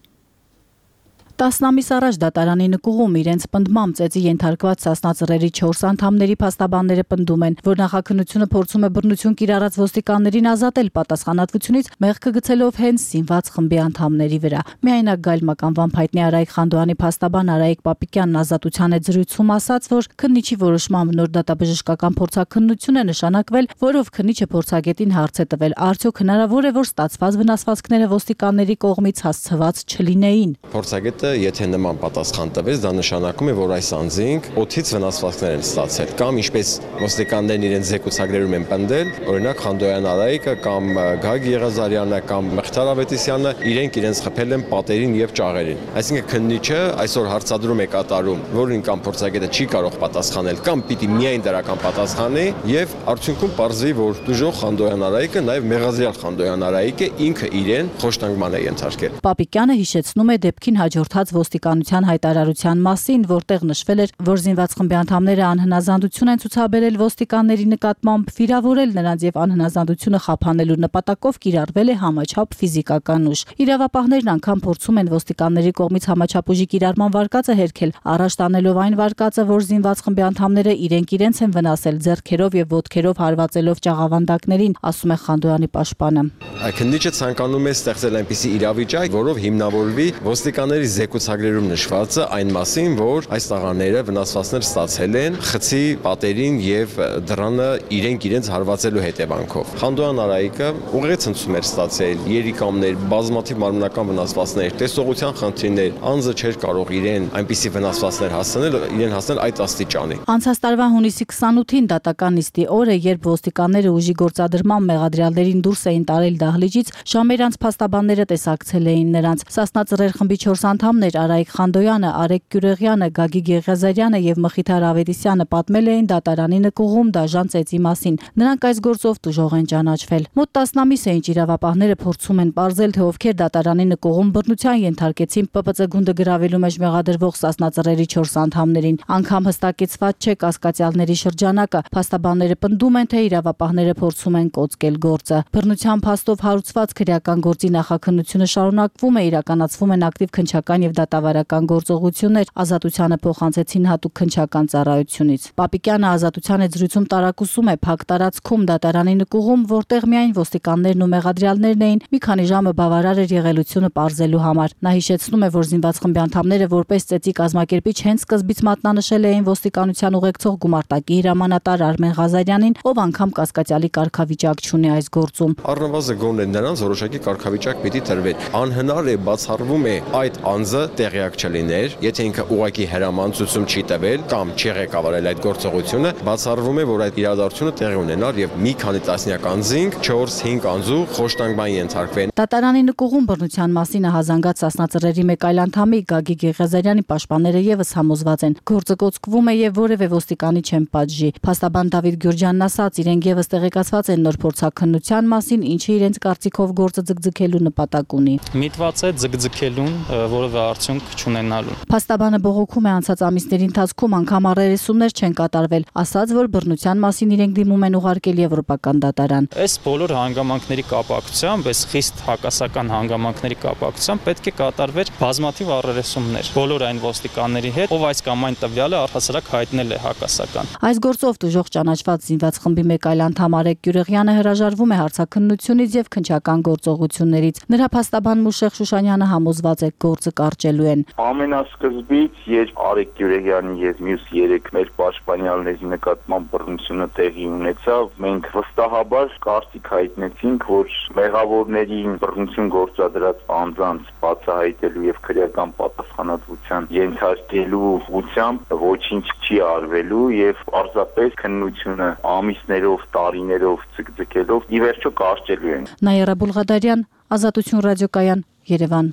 Տասնամիս առաջ դատարանի նկուղում իրենց պնդմամբ ծեծի ենթարկված Սասնա ծռերի չորս անդամների փաստաբանները պնդում են, որ նախաքննությունը փորձում է բռնություն կիրառած ոստիկաններին ազատել պատասխանատվությունից, մեղքը գցելով հենց սինված խմբի անդամների վրա։ Միայնակ գայլմականվան փայտնի Արայիկ Խանդոյանի փաստաբան Արայիկ Պապիկյանն Ազատության հետ զրույցում ասաց, որ քննիչի որոշմամբ նոր դատաբժշկական փորձաքննություն է նշանակվել, որով քննիչը փորձագետին հարց է տվել, արդյոք հնարավոր է, որ ստացված վնասվածքները ոստիկանների կողմից հասցված չլինեին։ Փորձագետը եթե նման պատասխան տվեց, դա նշանակում է, որ այս անձինք օդից վնասվածքներ են ստացել, կամ ինչպես ոստիկաններն իրենց զեկուցագրերում են պնդել, օրինակ Խանդոյան Արայիկը կամ Գագիկ Եղազարյանը կամ Մղթար Ավետիսյանը իրենք իրենց խփել են պատերին եւ ճաղերին։ Այսինքն քննիչը այսօր հարցադրում է կատարում, որին կամ փորձագետը չի կարող պատասխանել, կամ պիտի միայն դրական պատասխանի եւ արդյունքում պարզվի, որ դժոխք Խանդոյան Արայիկը նաեւ Մեղազրյալ Խանդոյան Արայիկը ինքը իրեն խոշտանգման է ենթարկել։ Պապիկյանը հիշեցնում է դեպքին հաջորդած ոստիկանության հայտարարության մասին, որտեղ նշվել էր, որ զինված խմբի անդամները անհնազանդություն են ցուցաբերել ոստիկանների նկատմամբ, վիրավորել նրանց եւ անհնազանդությունը խափանելու նպատակով կիրառվել է համաչափ ֆիզիկական ուժ։ Իրավապահներն անգամ փորձում են ոստիկանների կողմից համաչափ ուժի կիրառման վարկածը հերքել, առաջ տանելով այն վարկածը, որ զինված խմբի անդամները իրենք իրենց են վնասել ձեռքերով եւ ոտքերով հարվածելով ճաղավանդակներին, ասում է Խանդոյանի պաշտպանը։ Քննիչը ցանկանում է ստեղծել այնպիսի իրավիճակ, որով հիմնավորվի ոստիկանների զեկուցագրերում նշվածը այն մասին, որ այս տղաները վնասվածքներ ստացել են խցի պատերին եւ դռանը իրենք իրենց հարվածելու հետևանքով։ Խանդոյան Արայիկը ուղղակի ցնցում էր ստացել, երիկամներ, բազմաթիվ մարմնական վնասվածքներ, տեսողության խնդիրներ, անձը չէր կարող իրեն այնպիսի վնասվածքներ հասցնել, իրեն հասնել այդ աստիճանի։ Անցած տարվա հունիսի քսանութին դատական նիստի օրը, երբ ոստիկանները ուժի գործադրման մեղադրյալներին դուրս էին տարել դահլիճից, ժամեր անց փաստաբանները տեսակցել էին նրանց։ Սասնա ծռեր խմբի չորս անդամներ Արայիկ Խանդոյանը, Արեգ Գյուրեղյանը, Գագիկ Եղազարյանը եւ Մխիթար Ավետիսյանը պատմել էին դատարանի նկուղում դաժան ծեծի մասին։ Նրանք այս գործով տուժող են ճանաչվել։ Մոտ տասնամիս է ինչ իրավապահները փորձում են ողջել, թե ովքեր դատարանի նկուղում բռնության ենթարկեցին Պ Պ Ծ գունդը գրավելու մեջ մեղադրվող Սասնա ծռերի չորս անդամներին։ Անգամ հստակեցված չէ կասկածյալների շրջանակը։ Փաստաբանները պնդում են, թե իրավապահները փորձում են կոծկել գործը։ Բռնության փաստով հարուցված քրեական գործի նախաքննությունը շարունակվում է, իրականացվում են ակտիվ քննչական եւ դատավարական գործողություններ, Ազատությանը փոխանցեցին հատուկ քննչական ծառայությունից։ Պապիկյանը Ազատության հետ զրույցում տարակուսում է փակ տարածքում դատարանի նկուղում, որտեղ միայն ոստիկաններն ու մեղադրյալներն էին, մի քանի ժամը բավարար էր եղելությունը պարզելու համար։ Նա հիշեցնում է, որ զինված խմբի անդամները որպես ծեծի կազմակերպիչ հենց սկզբից մատնանշել էին ոստիկանության ուղեկցող գումարտակի հրամանատար Արմեն Ղազարյանին, ով անգամ կասկածյալի կարգավիճակ չունի այս գործում։ Առնվազն գոնե նրանց որոշակի կարգավիճակ պիտի տրվեր։ Անհնար է, բացառվում է այդ անձ կազմվածը տեղյակ չլիներ, եթե ինքը ուղղակի հրամանցություն չի տվել կամ չի ղեկավարել այդ գործողությունը, բացառվում է, որ այդ իրադարձությունը տեղի ունենար եւ մի քանի տասնյակ անձինք չորս-հինգ անձու խոշտանգման ենթարկվեն։ Դատարանի նկուղում բռնության մասին հազանգած սասնածռերի մեկ այլ անդամի Գագիկ Եղիազարյանի պաշտպանները եւս համոզված են, գործը կոծկվում է եւ որևէ ոստիկանի չեն պատժի։ Փաստաբան Դավիթ Գյուրջյանն ասաց, իրենք եւս տեղեկացված են նոր փորձաքննության մասին, ինչը իրենց կարծիքով գործը ձգձգելու նպատակ ունի։ Միտված է ձգձգելուն, որևէ արդյունք չունենալու։ Փաստաբանը բողոքում է անցած ամիսների ընթացքում անգամ առերեսումներ չեն կատարվել, ասաց, որ բռնության մասին իրենք դիմում են ուղարկել եվրոպական դատարան։ Այս բոլոր հանգամանքների կապակցությամբ, այս խիստ հակասական հանգամանքների կապակցությամբ պետք է կատարվեր բազմաթիվ առերեսումներ բոլոր այն ոստիկանների հետ, ով այս կամ այն տվյալը առհասարակ հայտնել է հակասական։ Այս գործով դժոխք ճանաչված զինված խմբի մեկ այլ անդամ Արեգ Գյուրեղյանը հրաժարվում է հարցաքննությունից եւ քննչական գործողություններից։ Նրա փաստաբան Մուշեղ Շուշանյանը համոզված է, գործը կարճելու են։ Ամենասկզբից, երբ Արեգ Գյուրեղյանի եւ մյուս երեք մեր պաշտպանյալների նկատմամբ բռնությունը տեղի ունեցավ, մենք վստահաբար կարծիք հայտնեցինք, որ մեղավորներին բռնություն գործադրած անձանց բացահայտելու եւ քրեական պատասխանատվության ենթարկելու ուղղությամբ ոչինչ չի արվելու եւ պարզապես քննությունը ամիսներով, տարիներով ցկցկելով ի վերջո կարճելու են։ Նաիրա Բուլղադարյան, Ազատություն ռադիոկայան, Երևան։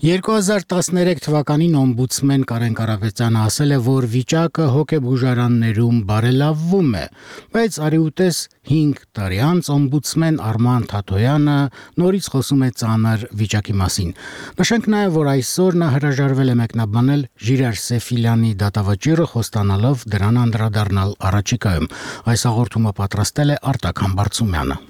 երկու հազար տասներեք թվականին օմբուդսմեն Կարեն Կարապետյանը ասել է, որ վիճակը հոգեբուժարաններում բարելավվում է, բայց արիուտես հինգ տարի անց օմբուդսմեն Արման Թաթոյանը նորից խոսում է ծանր վիճակի մասին։ Նշենք նաև, որ այսօր նա հրաժարվել է մեկնաբանել Ժիրայր Սեֆիլյանի դատավճիռը, խոստանալով դրան անդրադառնալ առաջիկայում։ Այս հաղորդումը պատրաստել է Արտակ Համբարձումյանը։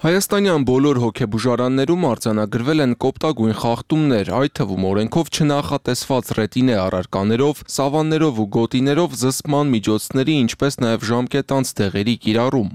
Հայաստանյան բոլոր հոգեբուժարաններում արձանագրվել են կոպտագույն խախտումներ, այդ թվում օրենքով չնախատեսված ռետինե առարկաներով, սավաններով ու գոտիներով զսպման միջոցների, ինչպես նաև ժամկետանց դեղերի կիրառում։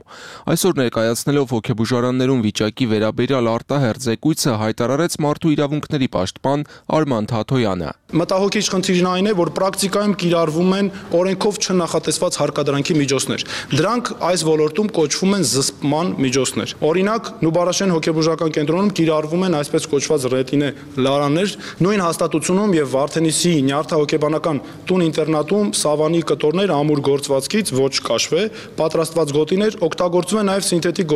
Այսօր ներկայացնելով հոգեբուժարաններում վիճակի վերաբերյալ արտահերձ զեկույցը հայտարարեց մարդու իրավունքների պաշտպան Արման Թաթոյանը։ Մտահոգիչ խնդիրն այն է, որ պրակտիկայում կիրառվում են օրենքով չնախատեսված հարկադրանքի միջոցներ։ Դրանք այս ոլորտում կոչվում են զսպման միջոցներ։ Օրինակ, Նուբարաշեն հոգեբուժական կենտրոնում կիրառվում են այսպես կոչված ռետինե լարաներ, նույն հաստատությունում եւ Վարդենիսի նյարդահոգեբանական տուն-ինտերնատում սավանի կտորներ ամուր գործվածքից ոչ կաշվե, պատրաստված գոտիներ, օգտագործվում են նաեւ սինթետիկ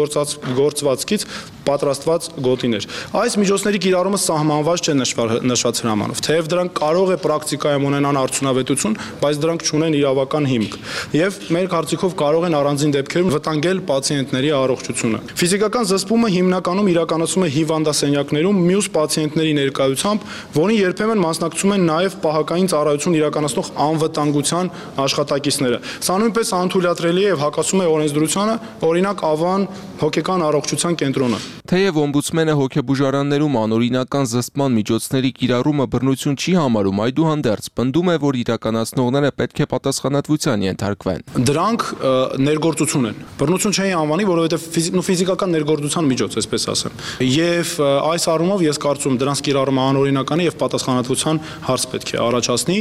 գործվածքից պատրաստված գոտիներ։ Այս միջոցների կիրառումը սահմանված չէ նշված հրամանով, թեև դրանք կարող է պրակտիկայում ունենան արդյունավետություն, բայց դրանք չունեն իրավական հիմք եւ մեր կարծիքով կարող են առանձին դեպքերում վտանգել պացիենտների առողջությունը։ Ֆիզիկական զսպումը հիմնականում իրականացվում է հիվանդասենյակներում մյուս պացիենտների ներկայությամբ, որին երբեմն մասնակցում են նաեւ պահակային ծառայություն իրականացնող անվտանգության աշխատակիցները։ Սա նույնպես անթույլատրելի է եւ հակասում է օրենսդրությանը, օրինակ Ավան հոգեկան առողջության կենտրոնը։ Թեև օմբուդսմենը հոգեբուժարաններում անօրինական զսպման միջոցների կիրառումը բռնություն չի համարում, այդուհանդերձ պնդում է, որ իրականացնողները պետք է պատասխանատվության ենթարկվեն։ Դրանք ներգործություն են։ Բռնություն չէի անվանի, որովհետև ֆիզիկական ներգործության միջոց, այսպես ասեմ։ Եվ այս առումով ես կարծում եմ դրանց կիրառումը անօրինական է եւ պատասխանատվության հարց պետք է առաջացնի։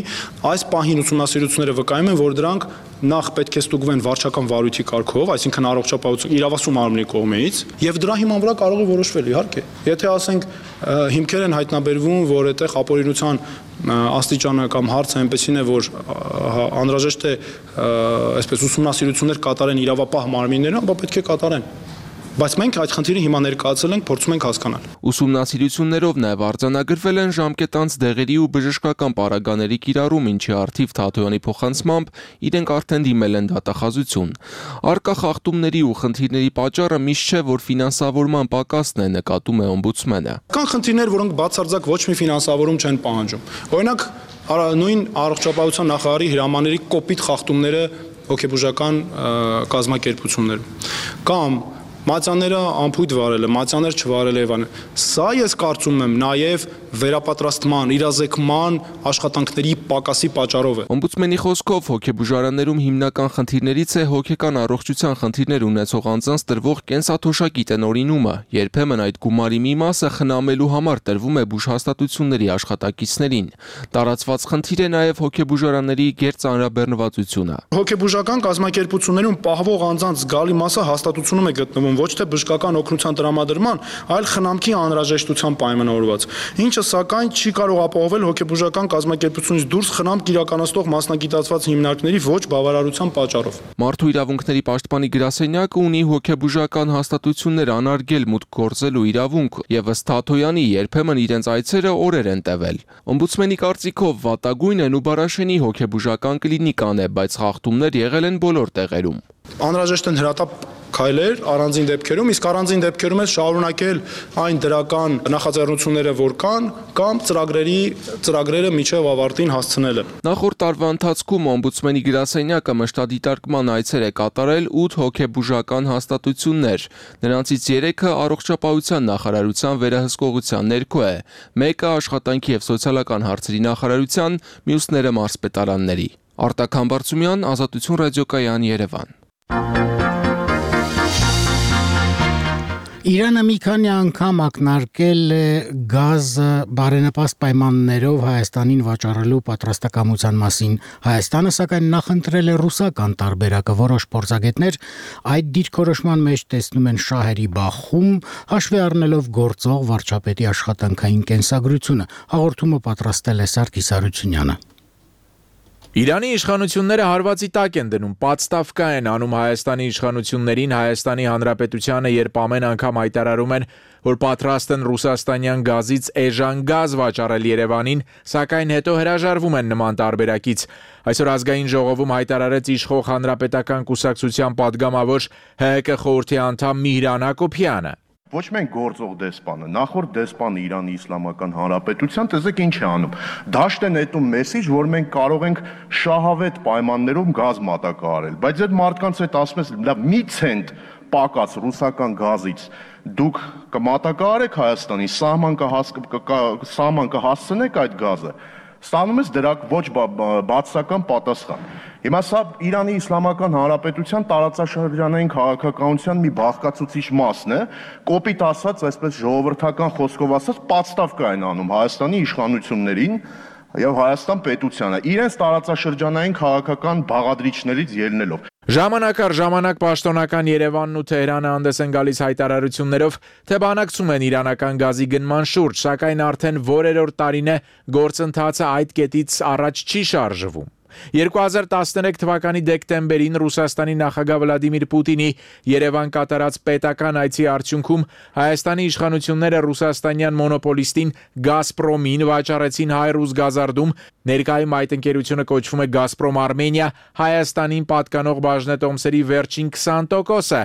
Այս պահին ուսումնասիրությունները վկայում են, որ դրանք նախ պետք է ստուգվեն վարչական վարույթի կարգով, այսինքն առողջապահություն իրավասու մարմնի կողմից, եւ դրա հիման վրա կարող է որոշվել, իհարկե։ Եթե ասենք հիմքեր են հայտնաբերվում, որ այդտեղ ապօրինության աստիճանը կամ հարցը այնպեսին է, որ անհրաժեշտ է այսպես ուսումնասիրություններ կատարեն իրավապահ մարմինները, ապա պետք է կատարեն։ Բայց մենք այդ խնդիրը հիմա ներկայացել ենք, փորձում ենք հասկանալ։ Ուսումնասիրություններով նաև արձանագրվել են ժամկետանց դեղերի ու բժշկական պարագաների կիրառում, ինչի առթիվ Թաթոյանի փոխանցմամբ իրենք արդեն դիմել են դատախազություն։ Առկա խախտումների ու խնդիրների պատճառը միշտ չէ, որ ֆինանսավորման պակասն է, նկատում է օմբուդսմենը։ Կան խնդիրներ, որոնք բացարձակ ոչ մի ֆինանսավորում չեն պահանջում։ Օրինակ, նույն առողջապահության նախարարի հրամանների կոպիտ խախտումները հոգեբուժական կազմակերպություններում կամ մատյաները անփույթ վարելը, մատյաներ չվարելը եւ այլն։ Սա ես կարծում եմ նաեւ վերապատրաստման, իրազեկման աշխատանքների պակասի պատճառով է։ Օմբուդսմենի խոսքով հոգեբուժարաններում հիմնական խնդիրներից է հոգեկան առողջության խնդիրներ ունեցող անձանց տրվող կենսաթոշակի տնօրինումը։ Երբեմն այդ գումարի մի մասը խնամելու համար տրվում է բուժհաստատությունների աշխատակիցներին։ Տարածված խնդիր է նաեւ հոգեբուժարանների գերծանրաբեռնվածությունը։ Հոգեբուժական կազմակերպություններում պահվող անձանց զգալի մասը հաստատությունում է գտնվում ոչ թե բժշկական օգնության տրամադրման, այլ խնամքի անհրաժեշտության պայմանավորված, ինչը սակայն չի կարող ապահովել հոգեբուժական կազմակերպությունից դուրս խնամք իրականացնող մասնագիտացված հիմնարկների ոչ բավարարության պատճառով։ Մարդու իրավունքների պաշտպանի գրասենյակը ունի հոգեբուժական հաստատություններ անարգել մուտք գործելու իրավունք եւ ըստ Թաթոյանի երբեմն իրենց այցերը օրեր են տևել։ Օմբուդսմենի կարծիքով վատագույնն ու Բարաշենի հոգեբուժական կլինիկան է, բայց խախտումներ եղել են բոլոր տեղերում։ Անհրաժեշտ են հրատապ քայլեր առանձին դեպքերում, իսկ առանձին դեպքերում է շարունակել այն դրական նախաձեռնությունները, որ կան, կամ ծրագրերի ծրագրերը միջև ավարտին հասցնելը։ Նախորդ տարվա ընթացքում օմբուդսմենի գրասենյակը մշտադիտարկման այցեր է կատարել ութ հոգեբուժական հաստատություններ, նրանցից երեքը առողջապահության նախարարության վերահսկողության ներքո է, մեկը աշխատանքի եւ սոցիալական հարցերի նախարարության, մյուսները մարզպետարանների։ Արտակ Համբարձումյան, Ազատություն ռադիոկայան, Երևան։ Իրանը մի քանի անգամ ակնարկել է գազը բարենպաստ պայմաններով Հայաստանին վաճառելու պատրաստակամության մասին։ Հայաստանը սակայն նախընտրել է ռուսական տարբերակը։ Որոշ փորձագետներ այդ դիրքորոշման մեջ տեսնում են շահերի բախում, հաշվի առնելով գործող վարչապետի աշխատանքային կենսագրությունը։ Հաղորդումը պատրաստել է Սարգիս Արությունյանը։ Իրանի իշխանությունները հարվածի տակ են դնում, պատստավկա են անում Հայաստանի իշխանություններին, Հայաստանի Հանրապետությանը, երբ ամեն անգամ հայտարարում են, որ պատրաստ են ռուսաստանյան գազից էժան գազ վաճառել Երևանին, սակայն հետո հրաժարվում են նման տարբերակից։ Այսօր ազգային ժողովում հայտարարեց իշխող հանրապետական կուսակցության падգամավոր Հ Հ Կ խորհրդի անդամ Միհրան Հակոբյանը։ Ոչ մենք գործող դեսպանը, նախորդ դեսպանը Իրանի Իսլամական Հանրապետության, տեսեք ինչ է անում։ Դաշտ են նետում մեսիջ, որ մենք կարող ենք շահավետ պայմաններով գազ մատակարարել, բայց այդ մարդկանց հետ ասում ես, լավ, մի ցենտ պակաց ռուսական գազից դուք կմատակարարեք Հայաստանի, սահման կհասցնեք այդ գազը, ստանում ես դրա ոչ բացասական պատասխան։ Հիմա սա Իրանի Իսլամական Հանրապետության տարածաշրջանային քաղաքականության մի բաղկացուցիչ մասն է, կոպիտ ասած, այսպես ժողովրդական խոսքով ասած, պատստավկա են անում Հայաստանի իշխանություններին եւ Հայաստան պետությանը, իրենց տարածաշրջանային քաղաքական բաղադրիչներից ելնելով։ Ժամանակ առ ժամանակ պաշտոնական Երևանն ու Թեհրանը հանդես են գալիս հայտարարություններով, թե բանակցում են իրանական գազի գնման շուրջ, սակայն արդեն որերորդ տարին է գործընթացը այդ կետից առաջ չի շարժվում։ երկու հազար տասներեք թվականի դեկտեմբերին Ռուսաստանի նախագահ Վլադիմիր Պուտինի Երևան կատարած պետական այցի արդյունքում Հայաստանի իշխանությունները ռուսաստանյան մոնոպոլիստին Գազպրոմին վաճառեցին հայ-ռուս գազարդում, ներկայում այդ ընկերությունը կոչվում է Գազպրոմ Արմենիա, Հայաստանին պատկանող բաժնետոմսերի վերջին քսան տոկոսը,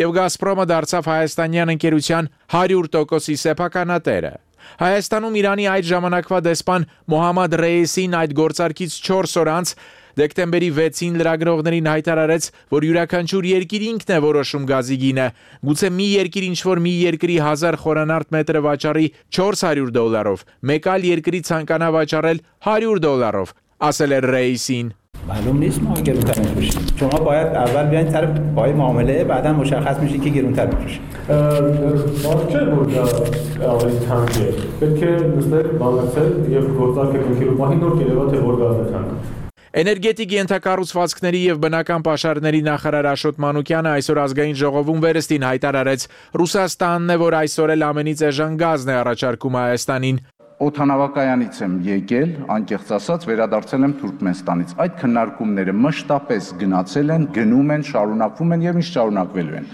եւ Գազպրոմը դարձավ հայաստանյան ընկերության հարյուր տոկոսի սեփականատերը։ Հայաստանում Իրանի այդ ժամանակվա դեսպան Մոհամմադ Ռեյիսին այդ գործարքից չորս օր անց դեկտեմբերի վեցին լրագրողներին հայտարարեց, որ յուրաքանչյուր երկիր ինքն է որոշում գազի գինը, գուցե մի երկիր ինչ-որ մի երկրի հազար խորանարդ մետրը վաճառի չորս հարյուր դոլարով, մեկ այլ երկրի ցանկանա վաճառել հարյուր դոլարով, ասել էր Ռեյիսին։ معلوم نیست ما گرونتر می‌فروشیم. شما باید اول بیاین سر پای معامله بعدا مشخص میشه که گرونتر می‌فروشه. باشه بود آقای تانگه. بلکه مثل بالاتر یه گذار که کنکیلو ماهی نور کیلووات ورگازتان. Էներգետիկ ենթակառուցվածքների եւ բնական պաշարների նախարար Աշոտ Մանուկյանը այսօր ազգային ժողովում վերստին հայտարարեց, Ռուսաստանն է, որ այսօր էլ ամենից էժան գազն է առաջարկում Հայաստանին։ Օդանավակայանից եմ եկել, անկեղծ ասած, վերադարձել եմ Թուրքմենստանից։ Այդ քննարկումները մշտապես գնացել են, գնում են, շարունակվում են եւ միշտ շարունակվելու են։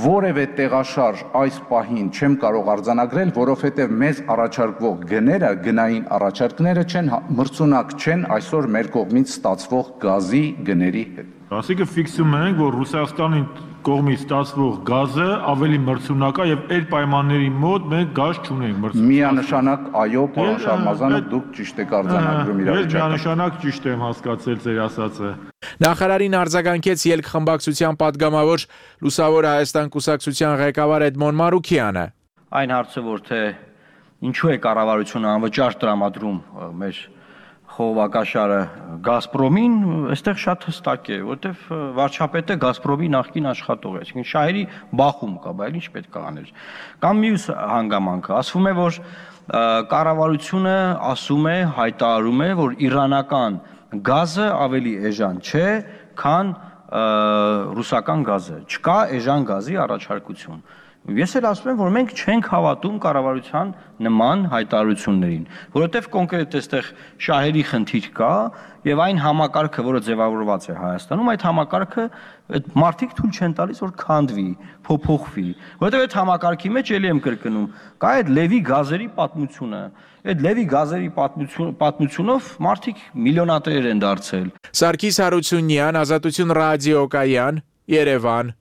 Որևէ տեղաշարժ այս պահին չեմ կարող արձանագրել, որովհետեւ մեզ առաջարկվող գները, գնային առաջարկները չեն մրցունակ չեն այսօր մեր կողմից ստացվող գազի գների հետ։ Այսինքն ֆիքսում ենք, որ Ռուսաստանի կողմից ստացվող գազը ավելի մրցունակ է եւ այդ պայմանների մոտ մենք գազ չունենք։ Միանշանակ այո, պարոն Շարմազանով դուք ճիշտ եք արձանագրում իրավիճակը։ Ես միանշանակ ճիշտ եմ հասկացել ձեր ասածը։ Նախարարին արձագանքեց ելքխմբակցության падգամավոր Լուսավոր Հայաստան կուսակցության ղեկավար Էդմոն Մարուկյանը։ Այն հարցը, որ թե ինչու է կառավարությունը անվճար տրամադրում մեր խողովակաշարը Գազպրոմին, այստեղ շատ հստակ է, որտեվ վարչապետը Գազպրոմի նախկին աշխատող է, այսինքն շահերի բախում կա, բայց ինչ պետք է անել։ Կամ մյուս հանգամանքը, ասվում է, որ կառավարությունը ասում է, հայտարարում է, որ իրանական գազը ավելի էժան չէ, քան ռուսական գազը, չկա էժան գազի առաջարկություն։ Ես էլ ասում եմ, որ մենք չենք հավատում կառավարության նման հայտարարություններին, որովհետև կոնկրետ այստեղ շահերի խնդիր կա եւ այն համակարգը, որը ձևավորված է Հայաստանում, այդ համակարգը այդ մարդիկ թույլ չեն տալիս, որ քանդվի, փոփոխվի, որովհետև այդ համակարգի մեջ էլի եմ կրկնում, կա այդ Լևի գազերի պատմությունը, այդ Լևի գազերի պատմություն պատմությունով մարդիկ միլիոնատեր են դարձել։ Սարգիս Հարությունյան, Ազատություն ռադիոկայան, Երևան։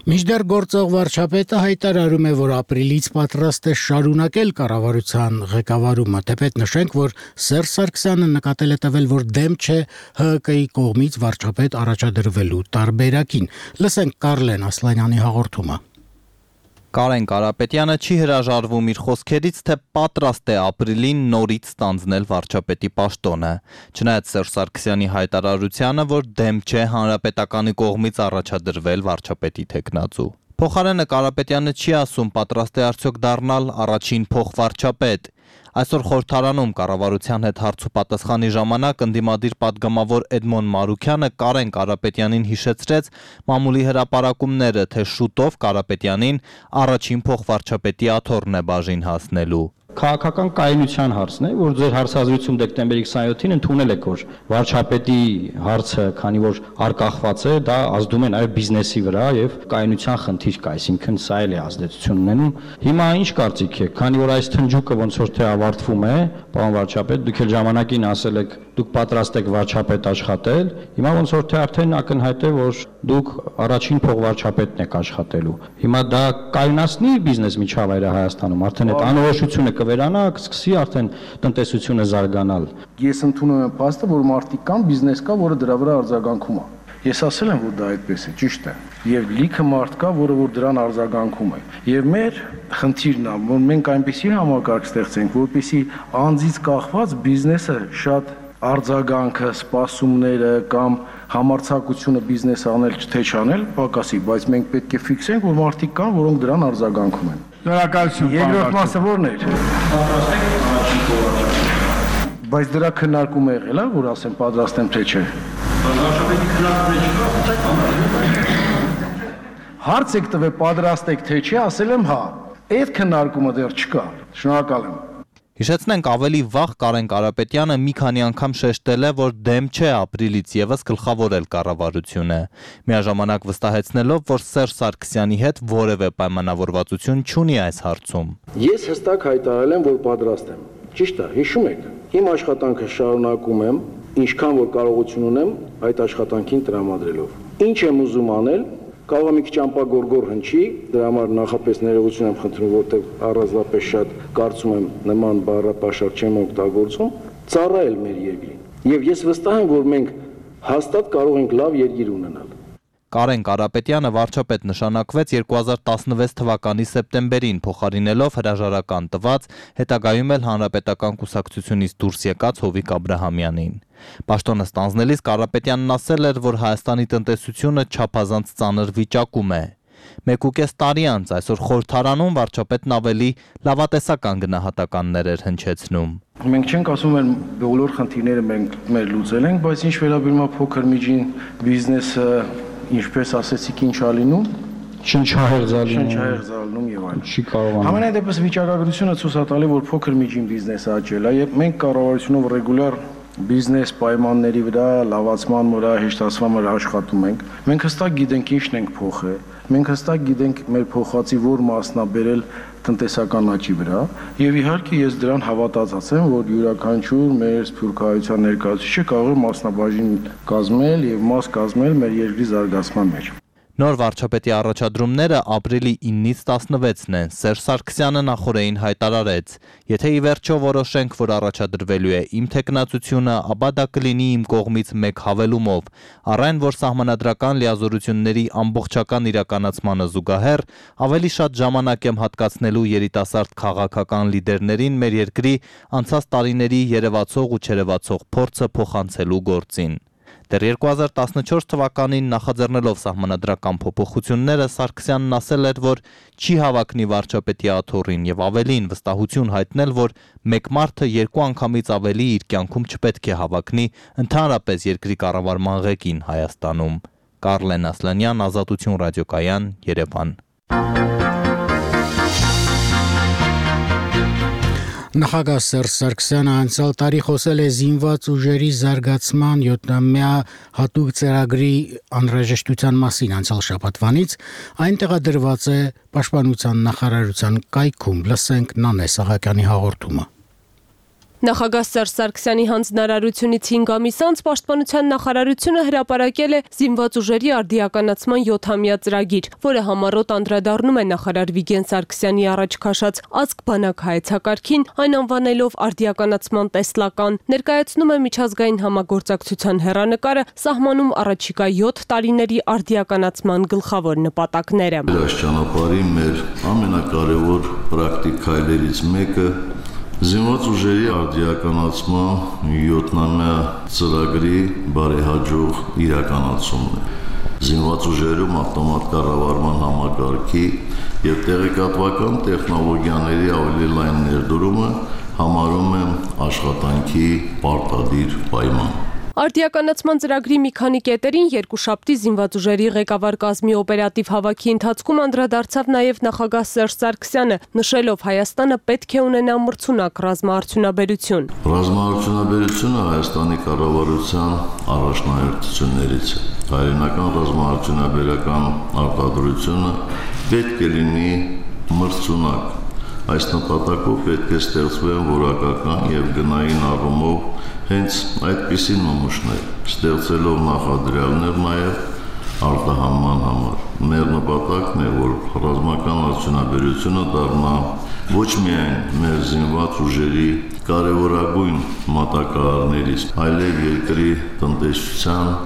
Մինչդեռ գործող վարչապետը հայտարարում է, որ ապրիլից պատրաստ է շարունակել կառավարության ղեկավարումը, թեպետ նշենք, որ Սերժ Սարգսյանը նկատել է տվել, որ դեմ չէ Հ Հ Կ-ի կողմից վարչապետ առաջադրվելու տարբերակին։ Լսենք Կարլեն Ասլանյանի հաղորդումը։ Կարեն Կարապետյանը չի հրաժարվում իր խոսքերից, թե պատրաստ է ապրիլին նորից ստանձնել վարչապետի պաշտոնը։ Չնայած Սերժ Սարգսյանի հայտարարությանը, որ դեմ չէ հանրապետականի կողմից առաջադրվել վարչապետի թեկնածու։ Փոխարենը Կարապետյանը չի ասում պատրաստ է արդյոք դառնալ առաջին փոխվարչապետ։ Այսօր խորհրդարանում կառավարության հետ հարցուպատասխանի ժամանակ ընդդիմադիր պատգամավոր Էդմոն Մարուքյանը Կարեն Կարապետյանին հիշեցրեց մամուլի հրապարակումները, թե շուտով Կարապետյանին առաջին փոխվարչապետի աթոռն է բաժին հասնելու։ Քաղաքական կայունության հարցն է, որ ձեր հարցազրույցում դեկտեմբերի քսաներկուսին ընդունել եք, որ վարչապետի հարցը, քանի որ արկախված է, դա ազդում է նաև բիզնեսի վրա եւ կայունության խնդիր կա, այսինքն սա էլ է ազդեցություն ունենում։ Հիմա ինչ կարծիք եք, քանի որ այս թնջուկը ոնց որ թե ավարտվում է, պարոն վարչապետ, դուք էլ ժամանակին ասել եք, դուք պատրաստ եք վարչապետ աշխատել, հիմա ոնց որ թե արդեն ակնհայտ է, որ դուք առաջին փոխվարչապետն եք աշխատելու։ Հիմա դա կայունացնի բիզնես միջավայրը Հայաստանում, արդեն այդ անորոշությունը կվերանա, կսկսի արդեն տնտեսությունը զարգանալ։ Ես ընդունում եմ փաստը, որ մարդիկ կան, բիզնես կա, որը դրա վրա արձագանքում է։ Ես ասել եմ, որ դա այդպես է, ճիշտ է։ Եվ լիքը մարդ կա, որը որ դրան արձագանքում է։ Եվ մեր խնդիրն է, որ մենք այնպեսի համակարգ ստեղծենք, որպեսզի անձից կախված բիզնեսը շատ արձագանքը, սպասումները կամ համարձակությունը բիզնես անել թե չանել պակասի, բայց մենք պետք է ֆիքսենք, որ մարդիկ կան, որոնք դրան արձագանքում են։ Շնորհակալություն։ Երկրորդ մասը ո՞րն էր։ Բայց դրա քննարկում է եղել, որ ասեմ պատրաստ եմ թե չէ։ Հարց եք տվել պատրաստ եք թե չէ, ասել եմ հա։ Այդ քննարկումը դեռ չկա։ Շնորհակալ եմ։ Հիշեցնենք ավելի վաղ Կարեն Կարապետյանը մի քանի անգամ շեշտել է, որ դեմ չէ ապրիլից եւս գլխավորել կառավարությունը, միաժամանակ վստահեցնելով, որ Սերժ Սարգսյանի հետ որևէ պայմանավորվածություն չունի այս հարցում։ Ես հստակ հայտարարել եմ, որ պատրաստ եմ։ Ճիշտ է, հիշում եք։ Իմ աշխատանքը շարունակում եմ, ինչքան որ կարողություն ունեմ այդ աշխատանքին տրամադրելով։ Ինչ եմ ուզում անել, կարող է մի քիչ ամպագորգոր հնչի, դրա համար նախապես ներողություն եմ խնդրում, որտեղ առանձնապես շատ կարծում եմ նման բառապաշար չեմ օգտագործում, ծառայել մեր երկրին։ Եվ ես վստահ եմ, որ մենք հաստատ կարող ենք լավ երկիր ունենալ։ Կարեն Կարապետյանը վարչապետ նշանակվեց երկու հազար տասնվեց թվականի սեպտեմբերին, փոխարինելով հրաժարական տված, հետագայում էլ հանրապետական կուսակցությունից դուրս եկած Հովիկ Աբրահամյանին։ Պաշտոնը ստանձնելիս Կարապետյանն ասել էր, որ Հայաստանի տնտեսությունը չափազանց ծանր վիճակում է։ Մեկուկես տարի անց այսօր խորհրդարանում վարչապետն ավելի լավատեսական գնահատականներ էր հնչեցնում։ Մենք չենք ասում, որ բոլոր խնդիրները մենք մեր լուծել ենք, բայց ինչ վերաբերում է փոքր միջին բիզնեսը, ինչպես ասեցիք, ինչ ա լինում, շնչահեղձալնում, շնչահեղձալնում եւ այլն։ Չի կարողանում։ Համենայն դեպս վիճակագրությունը ցույց է տալի, որ փոքր միջին բիզնեսը աճել է եւ մենք կառավարությունով ռեգուլյար բիզնես պայմանների վրա, լավացման վրա, հեշտացման վրա աշխատում ենք։ Մենք հստակ գիտենք ինչն ենք փոխել։ Մենք հստակ գիտենք մեր փոխածի որ մասն է բերել տնտեսական աճի վրա եւ իհարկե ես դրան հավատացած եմ, որ յուրաքանչյուր մեր սփյուռքահայության ներկայացուցիչը կարող է մասնաբաժին կազմել եւ մաս կազմել մեր երկրի զարգացման մեջ։ Նոր վարչապետի առաջադրումները ապրիլի իննից տասնվեցն են։ Սերժ Սարգսյանը նախորդին հայտարարեց. «Եթե ի վերջո որոշենք, որ առաջադրվելու է իմ թեկնածությունը, ապա դա կլինի իմ կողմից մեկ հավելումով, առայն որ սահմանադրական լիազորությունների ամբողջական իրականացմանը զուգահեռ ավելի շատ ժամանակ եմ հատկացնելու երիտասարդ քաղաքական լիդերներին մեր երկրի անցած տարիների երևացող ու չերևացող փորձը փոխանցելու գործին»։ Դեռ երկու հազար տասնչորս թվականին նախաձեռնելով սահմանադրական փոփոխությունները Սարգսյանն ասել էր, որ չի հավակնի վարչապետի աթոռին եւ ավելին վստահություն հայտնել, որ մեկ մարդը երկու անգամից ավելի իր կյանքում չպետք է հավակնի ընդհանրապես երկրի կառավարման ղեկին Հայաստանում։ Կարլեն Ասլանյան, Ազատություն ռադիոկայան, Երևան։ Նախագահ Սերժ Սարգսյանը անցյալ տարի խոսել է զինված ուժերի զարգացման յոթամյա հատուկ ծրագրի անհրաժեշտության մասին անցյալ շաբաթվանից, այն տեղադրված է Պաշտպանության նախարարության կայքում։ Լսենք Նանե Սահակյանի հաղորդումը։ Նախագահ Սերժ Սարգսյանի հանձնարարությունից հինգ ամիս անց Պաշտպանության նախարարությունը հրապարակել է զինված ուժերի արդիականացման յոթամյա ծրագիր, որը համառոտ անդրադառնում է նախարար Վիգեն Սարգսյանի առաջ քաշած ազգ բանակ հայեցակարգին, այն անվանելով արդիականացման տեսլական, ներկայացնում է միջազգային համագործակցության հեռանկարը, սահմանում առաջիկա յոթ տարիների արդիականացման գլխավոր նպատակները։ Այս ճանապարհի մեր ամենակարևոր պրակտիկ քայլերից մեկը Զինված ուժերի արդիականացման յոթամյա ծրագրի բարեհաջող իրականացումն է։ Զինված ուժերում ավտոմատ կառավարման համակարգի եւ տեղեկատվական տեխնոլոգիաների ավելի լայն ներդրումը համարում եմ աշխատանքի պարտադիր պայման։ Արդիականացման ծրագրի մի քանի կետերին երկուշաբթի զինված ուժերի ղեկավար կազմի օպերատիվ հավաքի ընթացքում անդրադարձավ նաև նախագահ Սերժ Սարգսյանը, նշելով Հայաստանը պետք է ունենա մրցունակ ռազմաարդյունաբերություն։ Ռազմաարդյունաբերությունը Հայաստանի կառավարության առաջնահերթություններից է։ Հայրենական ռազմաարդյունաբերական արտադրությունը պետք է լինի մրցունակ։ Այս նպատակով պետք է ստեղծվեն որակական եւ գնային առումով հենց այդպիսի նմուշներ, ստեղծելով նախադրյալներ նաեւ արտահանման համար։ Մեր նպատակն է, որ ռազմական արդյունաբերությունը դառնա ոչ միայն մեր զինված ուժերի կարևորագույն մատակարարներից, այլև երկրի տնտեսության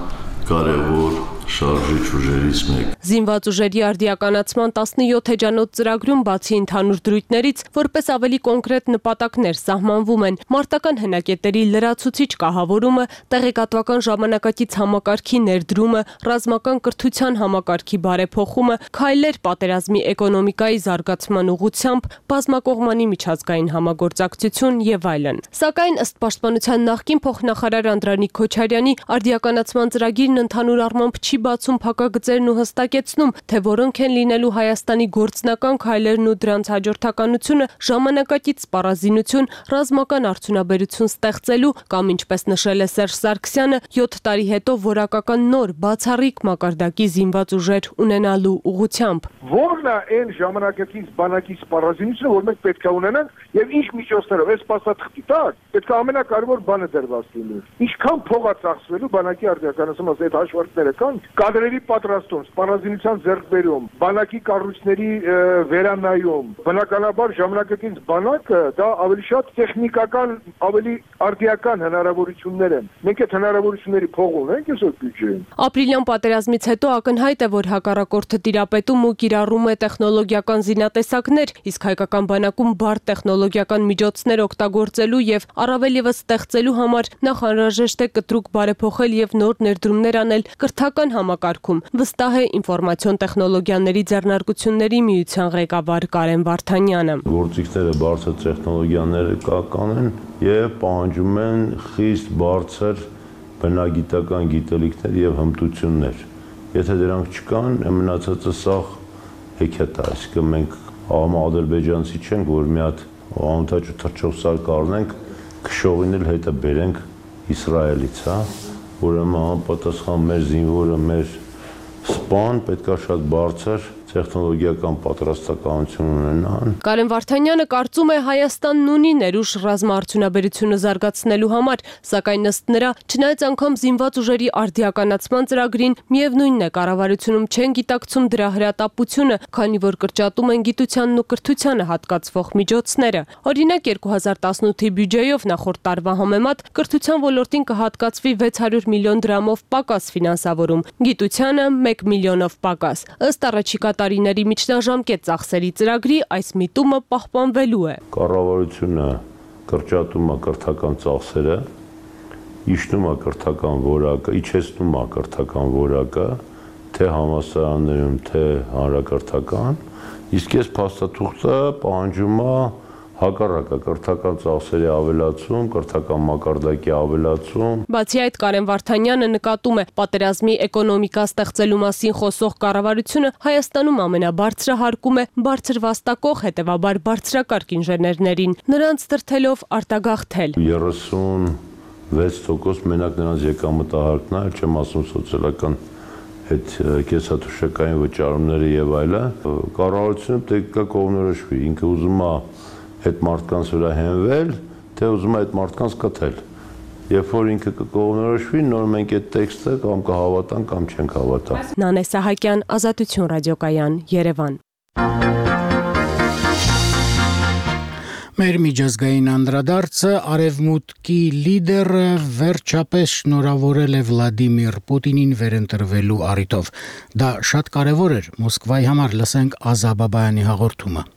կարևոր շարժիչ ուժերից մեկ։ Զինված ուժերի արդիականացման տասնյոթ էջանոց ծրագրում բացի ընդհանուր դրույթներից, որպես ավելի կոնկրետ նպատակներ սահմանվում են մարտական հենակետերի լրացուցիչ կահավորումը, տեղեկատվական ժամանակակից համակարգի ներդրումը, ռազմական կրթության համակարգի բարեփոխումը, քայլեր պատերազմի էկոնոմիկայի զարգացման ուղղությամբ, բազմակողմանի միջազգային համագործակցություն եւ այլն։ Սակայն ըստ Պաշտպանության նախկին փոխնախարար Անդրանիկ Քոչարյանի արդիականացման ծրագիրն ընդհանուր առմամբ չի բացում փակագծերն ու հստակեցնում, թե որոնք են լինելու Հայաստանի գործնական քայլերն ու դրանց հաջորդականությունը ժամանակակից սպառազինություն, ռազմական արդյունաբերություն ստեղծելու կամ ինչպես նշել է Սերժ Սարգսյանը, յոթ տարի հետո որակական նոր բացառիկ մակարդակի զինված ուժեր ունենալու ուղղությամբ։ Որն է այն ժամանակակից բանակի սպառազինությունը, որ մենք պետք է ունենանք եւ ինչ միջոցներով, այս փաստաթղթի տակ պետք է ամենակարևոր բանը դրված լինի։ Ինչքան փող է ծախսվելու բանակի արդիականացումը, այդ հաշվարկները կան։ Կադրերի պատրաստում, սպառազինության ձեռքբերում, բանակի կառույցների վերանայում, բնականաբար ժամանակակից բանակը դա ավելի շատ տեխնիկական, ավելի արդիական հնարավորություններ են։ Մենք այդ հնարավորությունների փող ունենք այսօր բյուջեին։ Ապրիլյան պատերազմից հետո ակնհայտ է, որ հակառակորդը տիրապետում ու կիրառում է տեխնոլոգիական զինատեսակներ, իսկ հայկական բանակում բարդ տեխնոլոգիական միջոցներ օգտագործելու եւ առավել եւս ստեղծելու համար նախ անհրաժեշտ է կտրուկ բարեփոխել եւ նոր ներդրումներ անել կրթական համակարգում, վստահ է ինֆորմացիոն տեխնոլոգիաների ձեռնարկությունների միության ղեկավար Կարեն Վարդանյանը։ Գործիքները բարձր տեխնոլոգիաները կական են եւ պահանջում են խիստ բարձր բնագիտական գիտելիքներ եւ հմտություններ։ Եթե դրանք չկան, մնացածը սաղ հեքիաթ է, այսինքն մենք ադրբեջանցի չենք, որ մի հատ անթաճ ու թռչող սար կառնենք, քշողին էլ հետը բերենք Իսրայելից, հա, ուրեմն համապատասխան մեր զինվորը, մեր սպան պետք է շատ բարձր տեխնոլոգիական պատրաստականություն ունենան։ Կարեն Վարդանյանը կարծում է Հայաստանն ունի ներուժ ռազմաարդյունաբերությունը զարգացնելու համար, սակայն ըստ նրա, չնայած անգամ զինված ուժերի արդիականացման ծրագրին, միևնույնն է կառավարությունում չեն գիտակցում դրա հրատապությունը, քանի որ կրճատում են գիտությանն ու կրթությանը հատկացվող միջոցները։ Օրինակ երկու հազար տասնութի բյուջեով նախորդ տարվա համեմատ կրթության ոլորտին կհատկացվի վեց հարյուր միլիոն դրամով պակաս ֆինանսավորում, գիտությանը մեկ միլիոնով պակաս։ Ըստ առաջիկա տարիների միջնաժամկետ ծախսերի ծրագրի այս միտումը պահպանվելու է։ Կառավարությունը կրճատում է կրթական ծախսերը իջնում է կրթական որակը, իջեցնում է կրթական որակը, թե համալսարաններում, թե հանրակրթական, իսկ այս փաստաթուղթը պահանջում է հակառակը կրթական ծախսերի ավելացում, կրթական մակարդակի ավելացում։ Բացի այդ, Կարեն Վարդանյանը նկատում է, պատերազմի էկոնոմիկա ստեղծելու մասին խոսող կառավարությունը Հայաստանում ամենաբարձրը հարկում է բարձր վաստակող, հետևաբար բարձրակարգ ինժեներներին, նրանց դրդելով արտագաղթել։ երեսունվեց տոկոս մենակ նրանց եկամտահարկն է, չեմ ասում սոցիալական այդ կեսաթուշակային վճարումները եւ այլը, կառավարությունը պետք է կողմնորոշվի, ինքը ուզում է այդ մարդկանց վրա հենվել, թե ուզում է այդ մարդկանց կթել։ Երբ որ ինքը կողմնորոշվի, նոր մենք այդ տեքստը կամ կհավատանք կամ չենք հավատա։ Նանե Սահակյան, Ազատություն ռադիոկայան, Երևան։ Մեր միջազգային անդրադարձը արևմուտքի լիդերը վերջապես շնորհավորել է Վլադիմիր Պուտինին վերընտրվելու առիթով։ Դա շատ կարևոր էր Մոսկվայի համար, լսենք Ազա Բաբայանի հաղորդումը։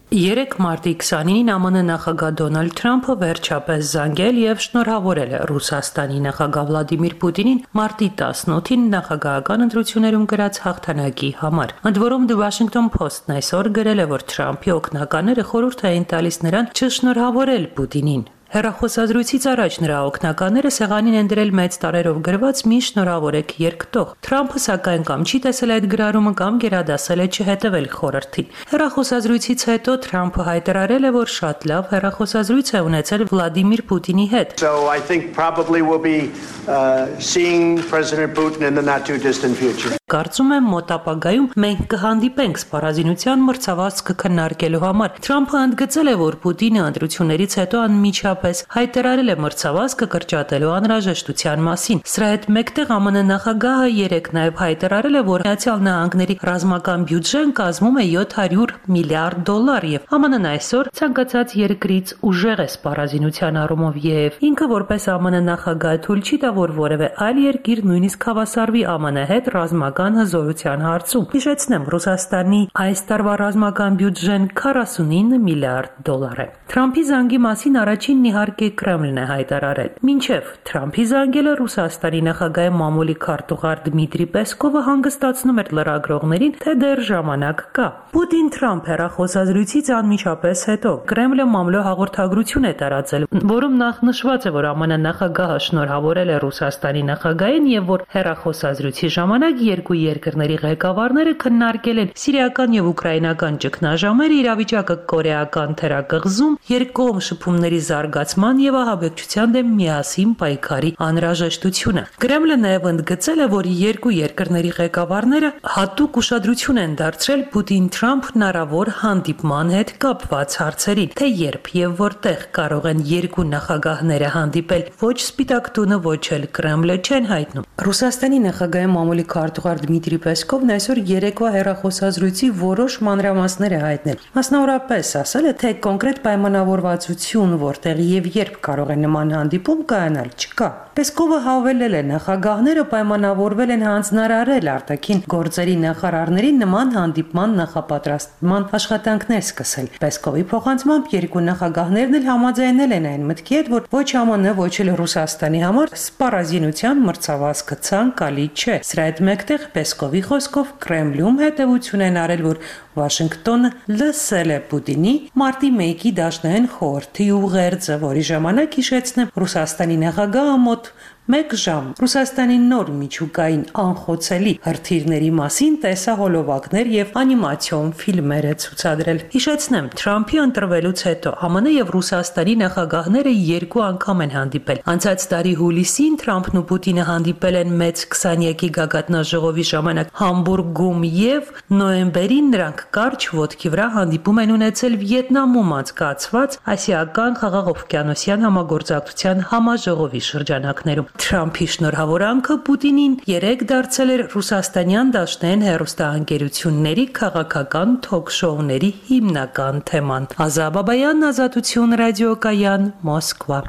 Երեկ մարտի քսանինին ԱՄՆ նախագահ Դոնալդ Թրամփը վերջապես զանգել եւ շնորհավորել է Ռուսաստանի նախագահ Վլադիմիր Պուտինին մարտի տասնօթին նախագահական ընտրություններում գրած հաղթանակի համար։ Ընդ որում The Washington Post-ն այսօր գրել է, որ Թրամփի օգնականները խորհուրդ էին տալիս նրան չշնորհավորել Պուտինին։ Հեռախոսազրույցից առաջ նրա օգնականները սեղանին են դրել մեծ տարերով գրված մի շնորհավորեք երկտող։ Թրամփը սակայն կամ չի տեսել այդ գրառումը կամ գերադասել է չհետևել խորհրդին։ Հեռախոսազրույցից հետո Թրամփը հայտարարել է, որ շատ լավ հեռախոսազրույց է ունեցել Վլադիմիր Պուտինի հետ։ So I think probably we'll be uh, seeing President Putin in the not too distant future. Կարծում եմ մոտ ապագայում մենք կհանդիպենք սպառազինության մրցավազքը քննարկելու համար։ Թրամփը ընդգծել է, որ Պուտինը ընտրություններից հետո անմիջապես հայտարարել է մրցավազքը կրճատելու անհրաժեշտության մասին։ Սրա հետ մեկտեղ ԱՄՆ նախագահը երեկ նաև հայտարարել է, որ Միացյալ Նահանգների ռազմական բյուջեն կազմում է յոթ հարյուր միլիարդ դոլար եւ ԱՄՆ-ն այսօր ցանկացած երկրից ուժեղ է սպառազինության առումով եւ ինքը որպես ԱՄՆ նախագահ թույլ չի տա, որ որևէ այլ երկիր նույնիսկ հավասարվի ԱՄՆ հետ ռազմական հզորության հարցում։ Հիշեցնեմ, Ռուսաստանի այս տարվա ռազմական բյուջեն քառասունինը միլիարդ դոլար է։ Թրամփի զանգի մասին առաջինն իհարկե Կրեմլն է հայտարարել։ Մինչև Թրամփի զանգելը Ռուսաստանի նախագահի մամուլի քարտուղար Դմիտրի Պեսկովը հանգստացնում էր լրագրողներին, թե դեռ ժամանակ կա։ Պուտին-Թրամփ հեռախոսազրույցից անմիջապես հետո Կրեմլը մամլո հաղորդագրություն է տարածել, որում նախ նշված է, որ ԱՄՆ նախագահը շնորհավորել է Ռուսաստանի նախագահին եւ որ հեռախոսազրույցի ժամանակ երկու երկրների ղեկավարները քննարկել են սիրիական եւ ուկրաինական ճգնաժամերը, իրավիճակը կորեական թերակղզում, երկկողմ շփումների զարգացման եւ ահաբեկչության դեմ միասին պայքարի անհրաժեշտությունը։ Կրեմլը նաեւ ընդգծել է, որ երկու երկրների ղեկավարները հատուկ ուշադրություն են դարձրել Պուտին-Թրամփ հնարավոր հանդիպման հետ կապված հարցերին, թե երբ եւ որտեղ կարող են երկու նախագահները հանդիպել, ոչ Սպիտակ տունը, ոչ էլ Կրեմլը չեն հայտնում։ Ռուսաստանի նախագահի մամուլի քարտուղար Դմիտրի Պեսկովն այսօր երեկվա հեռախոսազրույցի որոշ մանրամասներ է հայտնել։ Մասնավորապես ասել է, թե կոնկրետ պայմանավորվածություն, որտեղ եւ երբ կարող է նման հանդիպում կայանալ, չկա։ Պեսկովը հավելել է, նախագահները պայմանավորվել են հանձնարարել արտաքին գործերի նախարարներին նման հանդիպման նախապատրաստման աշխատանքներ սկսել։ Պեսկովի փոխանցմամբ երկու նախագահներն էլ համաձայնել են այն մտքի հետ, որ ոչ ԱՄՆ, ոչ էլ Ռուսաստանի համար սպառազինության մրցավազքը ցանկալի չէ։ Սրա հետ մեկտեղ Պեսկովի խոսքով Կրեմլում հետևություն են արել, որ Վաշինգտոնը լսել է Պուտինի մարտի մեկի դաշնային խորհրդի ուղերձը, որի ժամանակ հիշեցնեմ Ռուսաստանի նախագահը մոտ մեկ ժամ Ռուսաստանի նոր միջուկային անխոցելի հրթիռների մասին տեսահոլովակներ եւ անիմացիոն ֆիլմեր է ցուցադրել։ Հիշեցնեմ, Թրամփի ընտրվելուց հետո ԱՄՆ եւ Ռուսաստանի նախագահները երկու անգամ են հանդիպել։ Անցած տարի հուլիսին Թրամփն ու Պուտինը հանդիպել են մեծ քսանյակի գագաթնաժողովի ժամանակ Համբուրգում եւ նոյեմբերին նրանք կարճ ոտքի վրա հանդիպում են ունեցել Վիետնամում անցկացված Ասիական խաղաղօվկիանոսյան համագործակցության համաժողովի շրջանակներում։ Թրամփի շնորհավորանքը Պուտինին երեք դարձել էր ռուսաստանյան դաշնային հեռուստաընկերությունների քաղաքական թոք-շոուների հիմնական թեման։ Ազա Բաբայան, Ազատություն ռադիոկայան, Մոսկվա։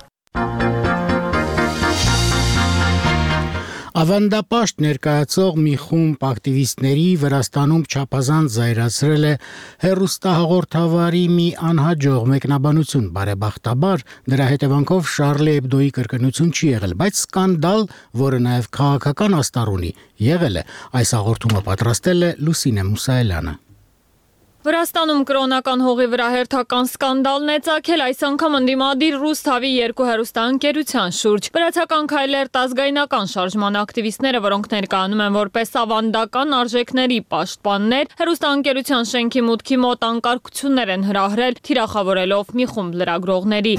Ավանդապաշտ ներկայացող մի խումբ ակտիվիստների Վրաստանում չափազանց զայրացրել է հեռուստահաղորդավարի մի անհաջող մեկնաբանություն։ Բարեբախտաբար դրա հետևանքով Շարլի Էբդոյի կրկնություն չի եղել, բայց սկանդալ, որը նաև քաղաքական աստար ունի, եղել է։ Այս հաղորդումը պատրաստել է Լուսինե Մուսայելյանը։ Վրաստանում կրոնական հողի վրա հերթական սկանդալն է ծագել այս անգամ ընդդիմադիր Ռուսթավի երկու հեռուստաընկերության շուրջ։ Վրացական քայլեր ազգայնական շարժման ակտիվիստները, որոնք ներկայանում են որպես ավանդական արժեքների պաշտպաններ, հեռուստաընկերության շենքի մուտքի մոտ անկարգություններ են հրահրել, թիրախավորելով մի խումբ լրագրողների։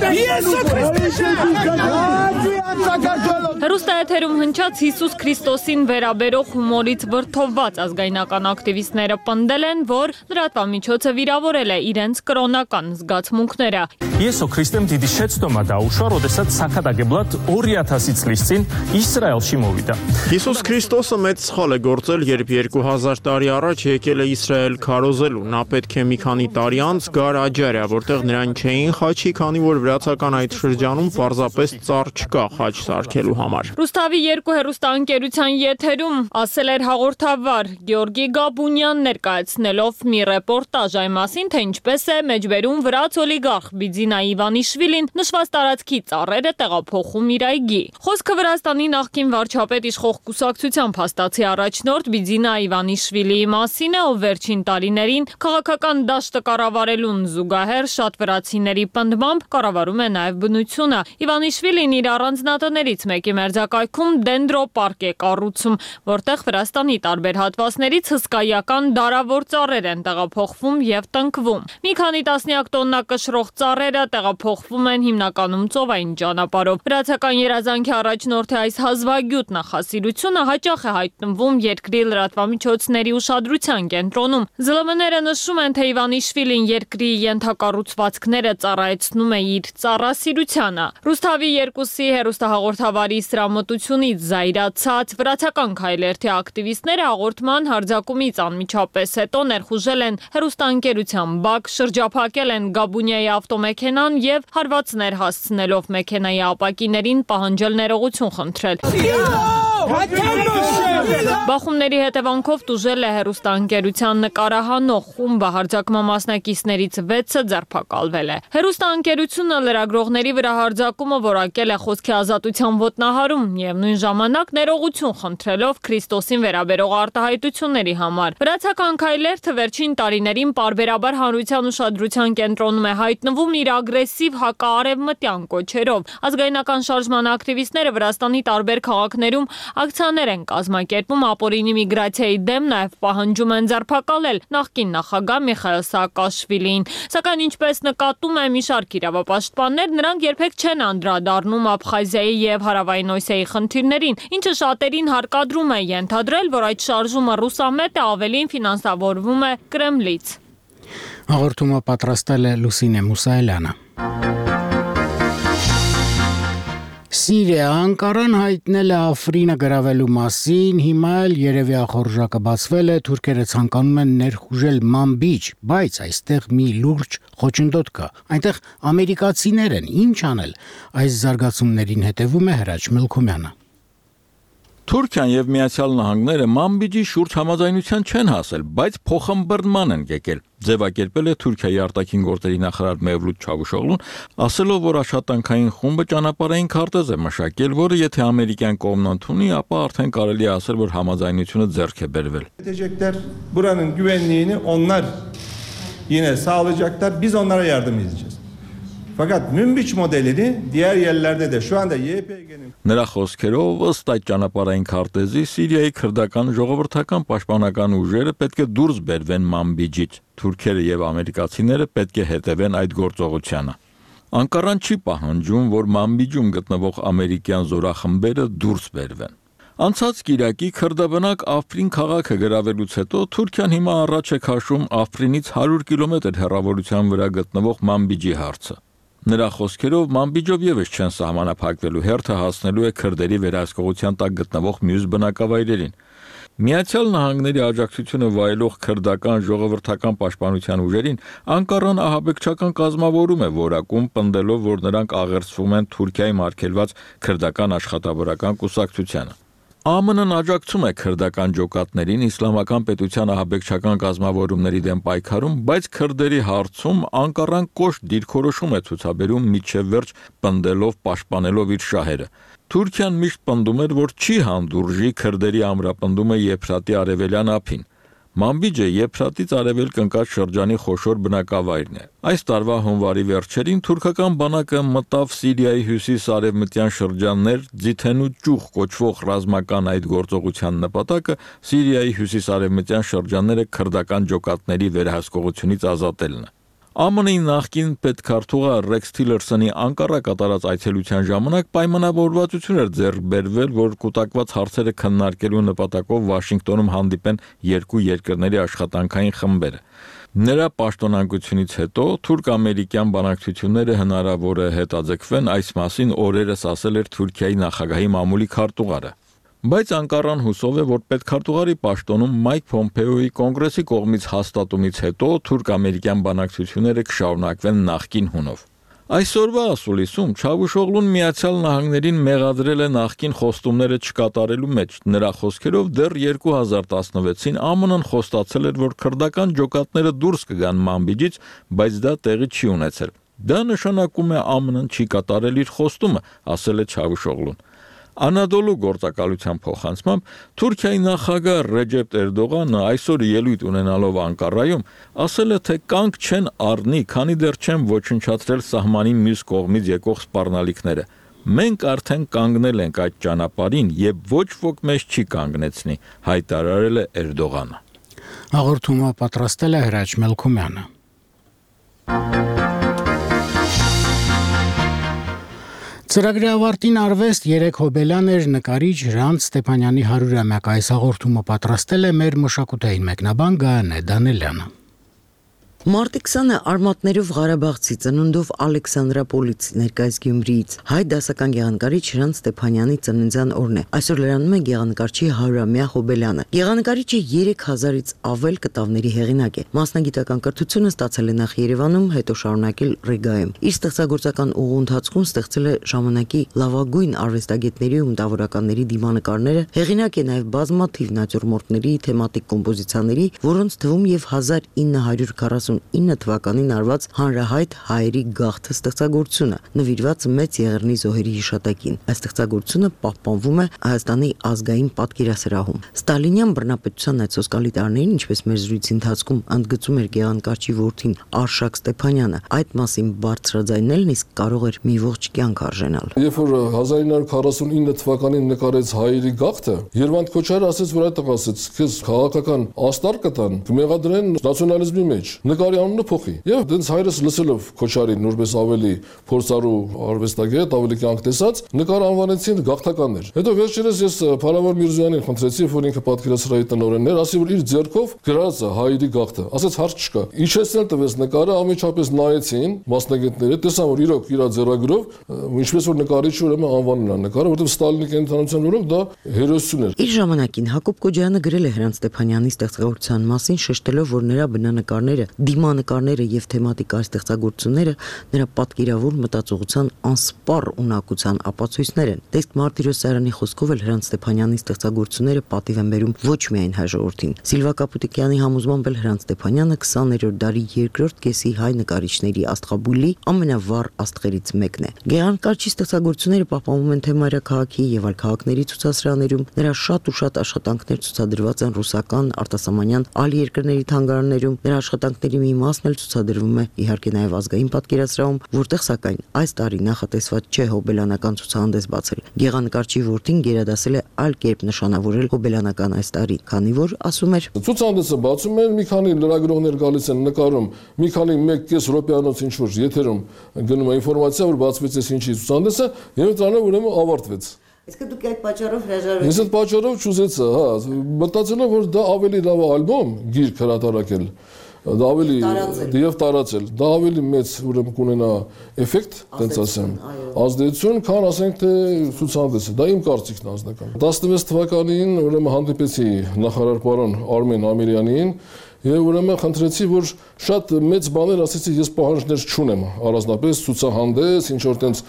Հեռուստաեթերում հնչած Հիսուս Քրիստոսին վերաբերող հումորից վրդովված ազգայնական ակտիվիստները պնդել են, որ լրատվամիջոցը վիրավորել է իրենց կրոնական զգացմունքները։ Եսո Քրիստեմ դիդի շեცდომა დაუშვა, როდესაც սակադագեբլատ ორი ათასից წლის წინ իսրայելში մովიდა։ Հիսուս Քրիստոսը մեծ սխալ է գործել, երբ երկու հազար տարի առաջ եկել է Իսրայել քարոզելու։ Նա պետք է մի քանի տարի անց գար Աջարիա, որտեղ նրան չէին խաչի, քանի որ վրացական այդ շրջանում պարզապես ծառ չկա խաչ սարքելու համար։ Ռուսթավի երկու հեռուստաընկերության եթերում ասել էր հաղորդավար Գեորգի Գաբունյան, ներկայացնելով մի ռեպորտաժ այն մասին, թե ինչպես է մեջբերում վրաց օլիգարխ Բիձինա Իվանիշվիլին նշված տարածքի ծառերը տեղափոխում իր այգի։ Խոսքը Վրաստանի նախկին վարչապետ իշխող կուսակցության փաստացի առաջնորդ Բիձինա Իվանիշվիլիի մասին է, ով վերջին տարիներին քաղաքական դաշտը կառավարելուն զուգահեռ շատ վրացիների պնդմամբ կառավարում է նաև բնությունը։ Իվանիշվիլին իր առանձնատներից մեկի մերձակայքում դենդրոպարկ է կառուցում, որտեղ Վրաստանի տարբեր հատվածներից հսկայական դարավոր ծառեր են տեղափոխվում եւ տնկվում։ Մի քանի տասնյակ տոննա կշռող ծառերը տեղափոխվում են հիմնականում ծովային ճանապարհով։ Վրացական երազանքի առաջնորդի այս հազվագյուտ նախասիրությունը հաճախ է հայտնվում երկրի լրատվամիջոցների ուշադրության կենտրոնում։ զը լը եմ-ները նշում են, թե Իվանիշվիլին երկրի ենթակառուցվածքները ծառայեցնում է իր ծառասիրությանը։ Ռուսթավի երկուսի հեռուստահաղորդավարի սրամտությունից զայրացած վրացական քայլերթի ակտիվիստները հաղորդման հարձակումից անմիջապես հետո ներխուժել են հեռուստաընկերության բակ, շրջափակել են Գաբունիայի ավտոմեքենան եւ հարվածներ հասցնելով մեքենայի ապակիներին պահանջել ներողություն խնդրել։ Բախումների հետևանքով տուժել է հեռուստաընկերության նկարահանող խումբը, հարձակման մասնակիցներից վեցը ձերբակալվել է։ Հեռուստաընկերությունը լրագրողների վրա հարձակումը որակել է խոսքի ազատության ոտնահարում եւ նույն ժամանակ ներողություն խնդրելով Քրիստոսին վերաբերող արտահայտությունների համար։ Վրացական քայլերթը վերջին տարիներին պարբերաբար հանրության ուշադրության կենտրոնում է հայտնվում իր ագրեսիվ հակաարևմտյան կոչերով։ Ազգայնական շարժման ակտիվիստները Վրաստանի տարբեր քաղաքներում ակցիաներ են կազմակերպում ապօրինի միգրացիայի դեմ, նաև պահանջում են ձերբակալել նախկին նախագահ Միխայիլ Սաակաշվիլիին։ Սակայն ինչպես նկատում է մի շարք իրավապաշտպաններ, նրանք երբեք չեն անդրադառնում Աբխազիայի եւ Հարավային Օսիայի խնդիրներին, ինչը շատերին հարկադրում է ենթադրել, որ այդ շարժումը ռուսամետ է, ավելին ֆինանսավորվում է Կրեմլից։ Հաղորդումը պատրաստել է Լուսինե Մուսայելյանը։ Սիրիա Անկարան հայտնել է Աֆրինը գրավելու մասին, հիմա էլ երևի ախորժակը բացվել է, թուրքերը ցանկանում են ներխուժել Մանբիջ, բայց այստեղ մի լուրջ խոչընդոտ կա։ Այնտեղ ամերիկացիներ են, ինչ անել։ Այս զարգացումներին հետևում է Հրաչ Մելքումյանը։ Թուրքիան եւ Միացյալ Նահանգները Մանբիջի շուրջ համաձայնության չեն հասել, բայց փոխըմբռնման են եկել։ Ձևակերպել է Թուրքիայի արտաքին գործերի նախարար Մևլութ Չավուշօղլուն, ասելով, որ աշխատանքային խումբը ճանապարհային քարտեզ է մշակել, որը եթե ամերիկյան կողմն ընդունի, ապա արդեն կարելի է ասել, որ համաձայնությունը ձեռք է բերվել։ Edecekler buranın güvenliğini onlar yine sağlayacaklar. Biz onlara yardım edeceğiz. Fakat Münbiç modelini diğer yerlerde de şu anda Y P G'nin Նրա խոսքերով ըստ այդ ճանապարհային քարտեզի Սիրիայի քրդական ժողովրդական պաշտպանական ուժերը պետք է դուրս բերվեն Մանբիջից։ Թուրքերը եւ ամերիկացիները պետք է հետևեն այդ գործողությանը։ Անկարան չի պահանջում, որ Մանբիջում գտնվող ամերիկյան զորախմբերը դուրս բերվեն։ Անցած կիրակի քրդաբնակ Աֆրին քաղաքը գրավելուց հետո Թուրքիան հիմա առաջ է քաշում Աֆրինից հարյուր կիլոմետր հեռավորության վրա գտնվող Մանբիջի հարցը։ Նրա խոսքերով Մանբիջով եւս չեն սահմանափակվելու, հերթը հասնելու է քրդերի վերահսկողության տակ գտնվող մյուս բնակավայրերին։ Միացյալ Նահանգների աջակցությունը վայելող քրդական ժողովրդական պաշտպանության ուժերին Անկարան ահաբեկչական կազմավորում է որակում, պնդելով, որ նրանք աղերսվում են Թուրքիայի մարգելված քրդական աշխատավորական կուսակցությանը։ Ա M N-ն աջակցում է քրդական ջոկատներին իսլամական պետության ահաբեկչական կազմավորումների դեմ պայքարում, բայց քրդերի հարցում Անկարան կոշտ դիրքորոշում է ցուցաբերում միջև վերջ պնդելով պաշտպանելով իր շահերը։ Թուրքիան միշտ պնդում էր, որ չի հանդուրժի քրդերի ամրապնդումը Եփրատի արևելյան ափին։ Մամբիջը Եփրատից արևելք ընկած շրջանի խոշոր բնակավայրն է։ Այս տարվա հունվարի վերջերին թուրքական բանակը մտավ Սիրիայի հյուսիս-արևմտյան շրջաններ Ձիթենու ճյուղ կոչվող ռազմական այդ գործողության նպատակը Սիրիայի հյուսիս-արևմտյան շրջանները քրդական ջոկատների վերահսկողությունից ազատելն է։ Ա M N-ի նախկին պետքարտուղա Ռեքս Թիլերսոնի Անկարա կատարած այցելության ժամանակ պայմանավորվածություն էր ձեռք բերվել, որ կուտակված հարցերը քննարկելու նպատակով Վաշինգտոնում հանդիպեն երկու երկրների աշխատանքային խմբերը։ Նրա պաշտոնանկությունից հետո թուրք-ամերիկյան բանակցությունները հնարավոր է հետաձգվեն, այս մասին օրերս ասել էր Թուրքիայի նախագահի մամուլի քարտուղարը։ Բայց Անկարան հուսով է, որ պետքարտուղարի պաշտոնում Մայք Փոմպեոյի կոնգրեսի կողմից հաստատումից հետո թուրք-ամերիկյան բանակցությունները կշարունակվեն նախկին հունով։ Այսօրվա ասուլիսում Չավուշօղլուն Միացյալ Նահանգներին մեղադրել է նախկին խոստումները չկատարելու մեջ։ Նրա խոսքերով դեռ երկու հազար տասնվեցին Ա M N-ն խոստացել էր, որ քրդական ջոկատները դուրս կգան Մամբիջից, բայց դա տեղի չի ունեցել։ Դա նշանակում է Ա M N-ն չի կատարել իր խոստումը, ասել է Չավուշօղլուն։ Անադոլու գործակալության փոխանցմամբ Թուրքիայի նախագահ Ռեջեփ Էրդողանը այսօր ելույթ ունենալով Անկարայում ասել է, թե կանգ չեն առնի, քանի դեռ չեն ոչնչացրել սահմանի մյուս կողմից եկող սպառնալիքները։ Մենք արդեն կանգնել ենք այդ ճանապարհին եւ ոչ ոք մեզ չի կանգնեցնի, հայտարարել է Էրդողանը։ Հաղորդումը պատրաստել է Հրաչ Մելքումյանը։ Ծրագրի ավարտին արվեստ երեք հոբելյան էր նկարիչ Հրանտ Ստեփանյանի հարյուրամյակ այս հաղորդումը պատրաստել է մեր մշակութային մեկնաբան Գայանե Դանելյանը։ Մարտի քսանը արմատներով Ղարաբաղցի ծնունդով Ալեքսանդրապոլից ներկայիս Գյումրիից հայ դասական գեղանկարիչ Հրանտ Ստեփանյանի ծննդյան օրն է։ Այսօր լրանում է գեղանկարչի հարյուրամյա հոբելյանը։ Գեղանկարիչը երեք հազարից ավել կտավների հեղինակ է։ Մասնագիտական կրթությունը ստացել է նախ Երևանում, հետո շարունակել Ռիգայում։ Իր ստեղծագործական ուղու ընթացքում ստեղծել է ժամանակի լավագույն արվեստագետների ու մտավորականների դիմանկարները, հեղինակ է նաև բազմաթիվ նատյուրմորտների, թեմատիկ կոմպոզիցիաների, որոնց թվում եւ հազար ինը հարյուր քառասունինը թվականին արված հանրահայտ հայերի գաղթը ստեղծագործությունը, նվիրված մեծ Եղեռնի զոհերի հիշատակին։ Այս ստեղծագործությունը պահպանվում է Հայաստանի ազգային պատկերասրահում։ Ստալինյան բռնապետության այդ սոսկալի տարիներին, ինչպես մեր զրույցի ընթացքում ընդգծում էր գեղանկարչի որդին Արշակ Ստեփանյանը, այդ մասին բարձրաձայնելն իսկ կարող էր մի ողջ կյանք արժենալ։ Երբ որ հազար ինը հարյուր քառասունինը թվականին նկարեց հայերի գաղթը, Երվանդ Քոչարը ասաց, որ այդ ասաց, քեզ քաղաքական աստար կտան, կմեղադրեն նացիոնալիզմի մեջ։ Նկարի անունը փոխի։ Եվ դենց հայրս լսելով Քոչարին նորպես ավելի փորձառու արվեստագետ, ավելի կյանք տեսած, նկարը անվանեցին գաղթականներ։ Հետո վերջերս ես Փարավար Միրզոյանին խնդրեցի, որ ինքը պատկերասրահի տնօրենն էր, ասի, որ իր ձեռքով գրած է հայերի գաղթը։ Ասաց հարց չկա։ Իջեցնել տվեց նկարը, ամիջապես նայեցին մասնագետները, տեսան, որ իրոք իր ձեռագրով, ինչպես որ նկարիչ ուրեմն անվանել է նկարը, որովհետև Ստալինի կենտրոնության օրոք դա հերոսություն էր։ Իր ժամանակին Հակոբ Կոջյանը գրել է Հրանտ Ստեփանյանի ստեղծագործության մասին, շեշտելով, որ նրա բնանկարները, դիմանկարները եւ թեմատիկ այս ստեղծագործությունները նրա պատկերավոր մտածողության անսպառ ունակության ապացույցներ են։ Տեսք Մարտիրոսյանի խոսքով էլ Հրանտ Ստեփանյանի ստեղծագործությունները պատիվ են բերում ոչ միայն հայ ժողովրդին։ Սիլվա Կապուտիկյանի համոզմամբ էլ Հրանտ Ստեփանյանը քսաներորդ դարի երկրորդ կեսի հայ նկարիչների աստղաբույլի ամենավառ աստղերից մեկն է։ Գեղանկարչի ստեղծագործությունները պահպանվում են թե մայրաքաղաքի եւ այլ քաղաքների ցուցասրահներում, նրա շատ ու շատ աշխատանքներ ցուցադրված են ռուսական, արտասահմանյան այլ երկրների թանգարաններում, նրա աշխատանքների մի մասն էլ ցուցադրվում է իհարկե նաև ազգային պատկերասրահում, որտեղ սակայն այս տարի նախատեսված չէ հոբելյանական ցուցահանդես բացել։ Գեղանկարչի որդին գերադասել է այլ կերպ նշանավորել հոբելյանական այս տարի, քանի որ ասում էր. Ցուցահանդեսը բացում են, մի քանի լրագրողներ գալիս են նկարում, մի քանի մեկ կես րոպեանոց ինչ որ եթերում գնում է ինֆորմացիա, որ բացվեց այս ինչի ցուցահանդեսը, եւ դրանով ուրեմն ավարտվեց։ Իսկ դուք այդ պատճառով հրաժարվեցիք։ Ես այդ պատճառով չուզեցա, հա, մտածելով որ դա ավելի լավ ալբոմ գիրք հրատարակել, դա ավելի եւ տարածել, դա ավելի մեծ ուրեմն կունենա էֆեկտ, տենց ասեմ, ազդեցություն, քան ասենք թե ցուցահանդեսը, դա իմ կարծիքն անձնական։ տասնվեց թվականին ուրեմն հանդիպեցի նախարար պարոն Արմեն Ամիրյանին Եվ ուրեմն խնդրեցի, որ շատ մեծ բաներ ասեցի, ես պահանջներ չունեմ, առանձնապես ցուցահանդես, ինչ որ տենց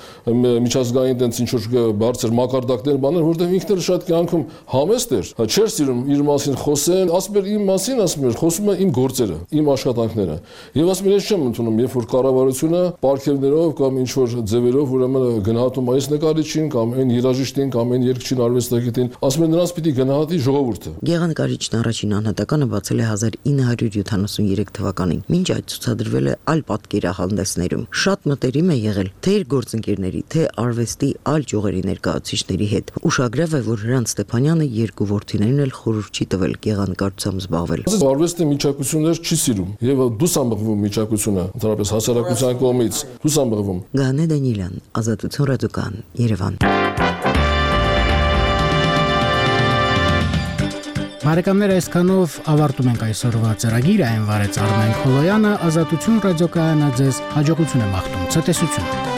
միջազգային տենց ինչ որ բարձր մակարդակներ բաներ, որտեղ ինքն էլ շատ կյանքում համեստ էր, չէր սիրում իր մասին խոսել, ասում էր իմ մասին, ասում էր, խոսում է իմ գործերը, իմ աշխատանքները։ Եվ ասում էր, ես չեմ ընդունում, երբ որ կառավարությունը պարգևներով կամ ինչ որ ձևերով ուրեմն գնահատում այս նկարիչին կամ այն երաժիշտին կամ այն երգչին, արվեստագետին, ասում էր նրանց պիտի գնահատի ժողովուրդը։ Գեղանկարիչն առաջին անհատականը բացել է հազար ինը հարյուր յոթանասուններեք թվականին, մինչ այդ ցուցադրվել է այլ պատկերահանդեսներում։ Շատ մտերիմ է եղել թե իր գործընկերների, թե արվեստի այլ ճյուղերի ներկայացուցիչների հետ։ Ուշագրավ է, որ Հրանտ Ստեփանյանը երկու որդիներին էլ խորհուրդ չի տվել գեղանկարչությամբ զբաղվել։ Արվեստի միջակայություններ չի սիրում եւ դուսամբղվում միջակայությունը, ընդհանրապես հասարակության կողմից դուսամբղվում։ Գանե Դանիելյան, Ազատություն ռադիոկան, Երևան։ Բարեկամներ, այսքանով ավարտում ենք այսօրվա ծրագիրը, այն վարեց Արմեն Խոլոյանը, Ազատություն ռադիոկայանը ձեզ հաջողություն եմ աղթում, ցտեսություն։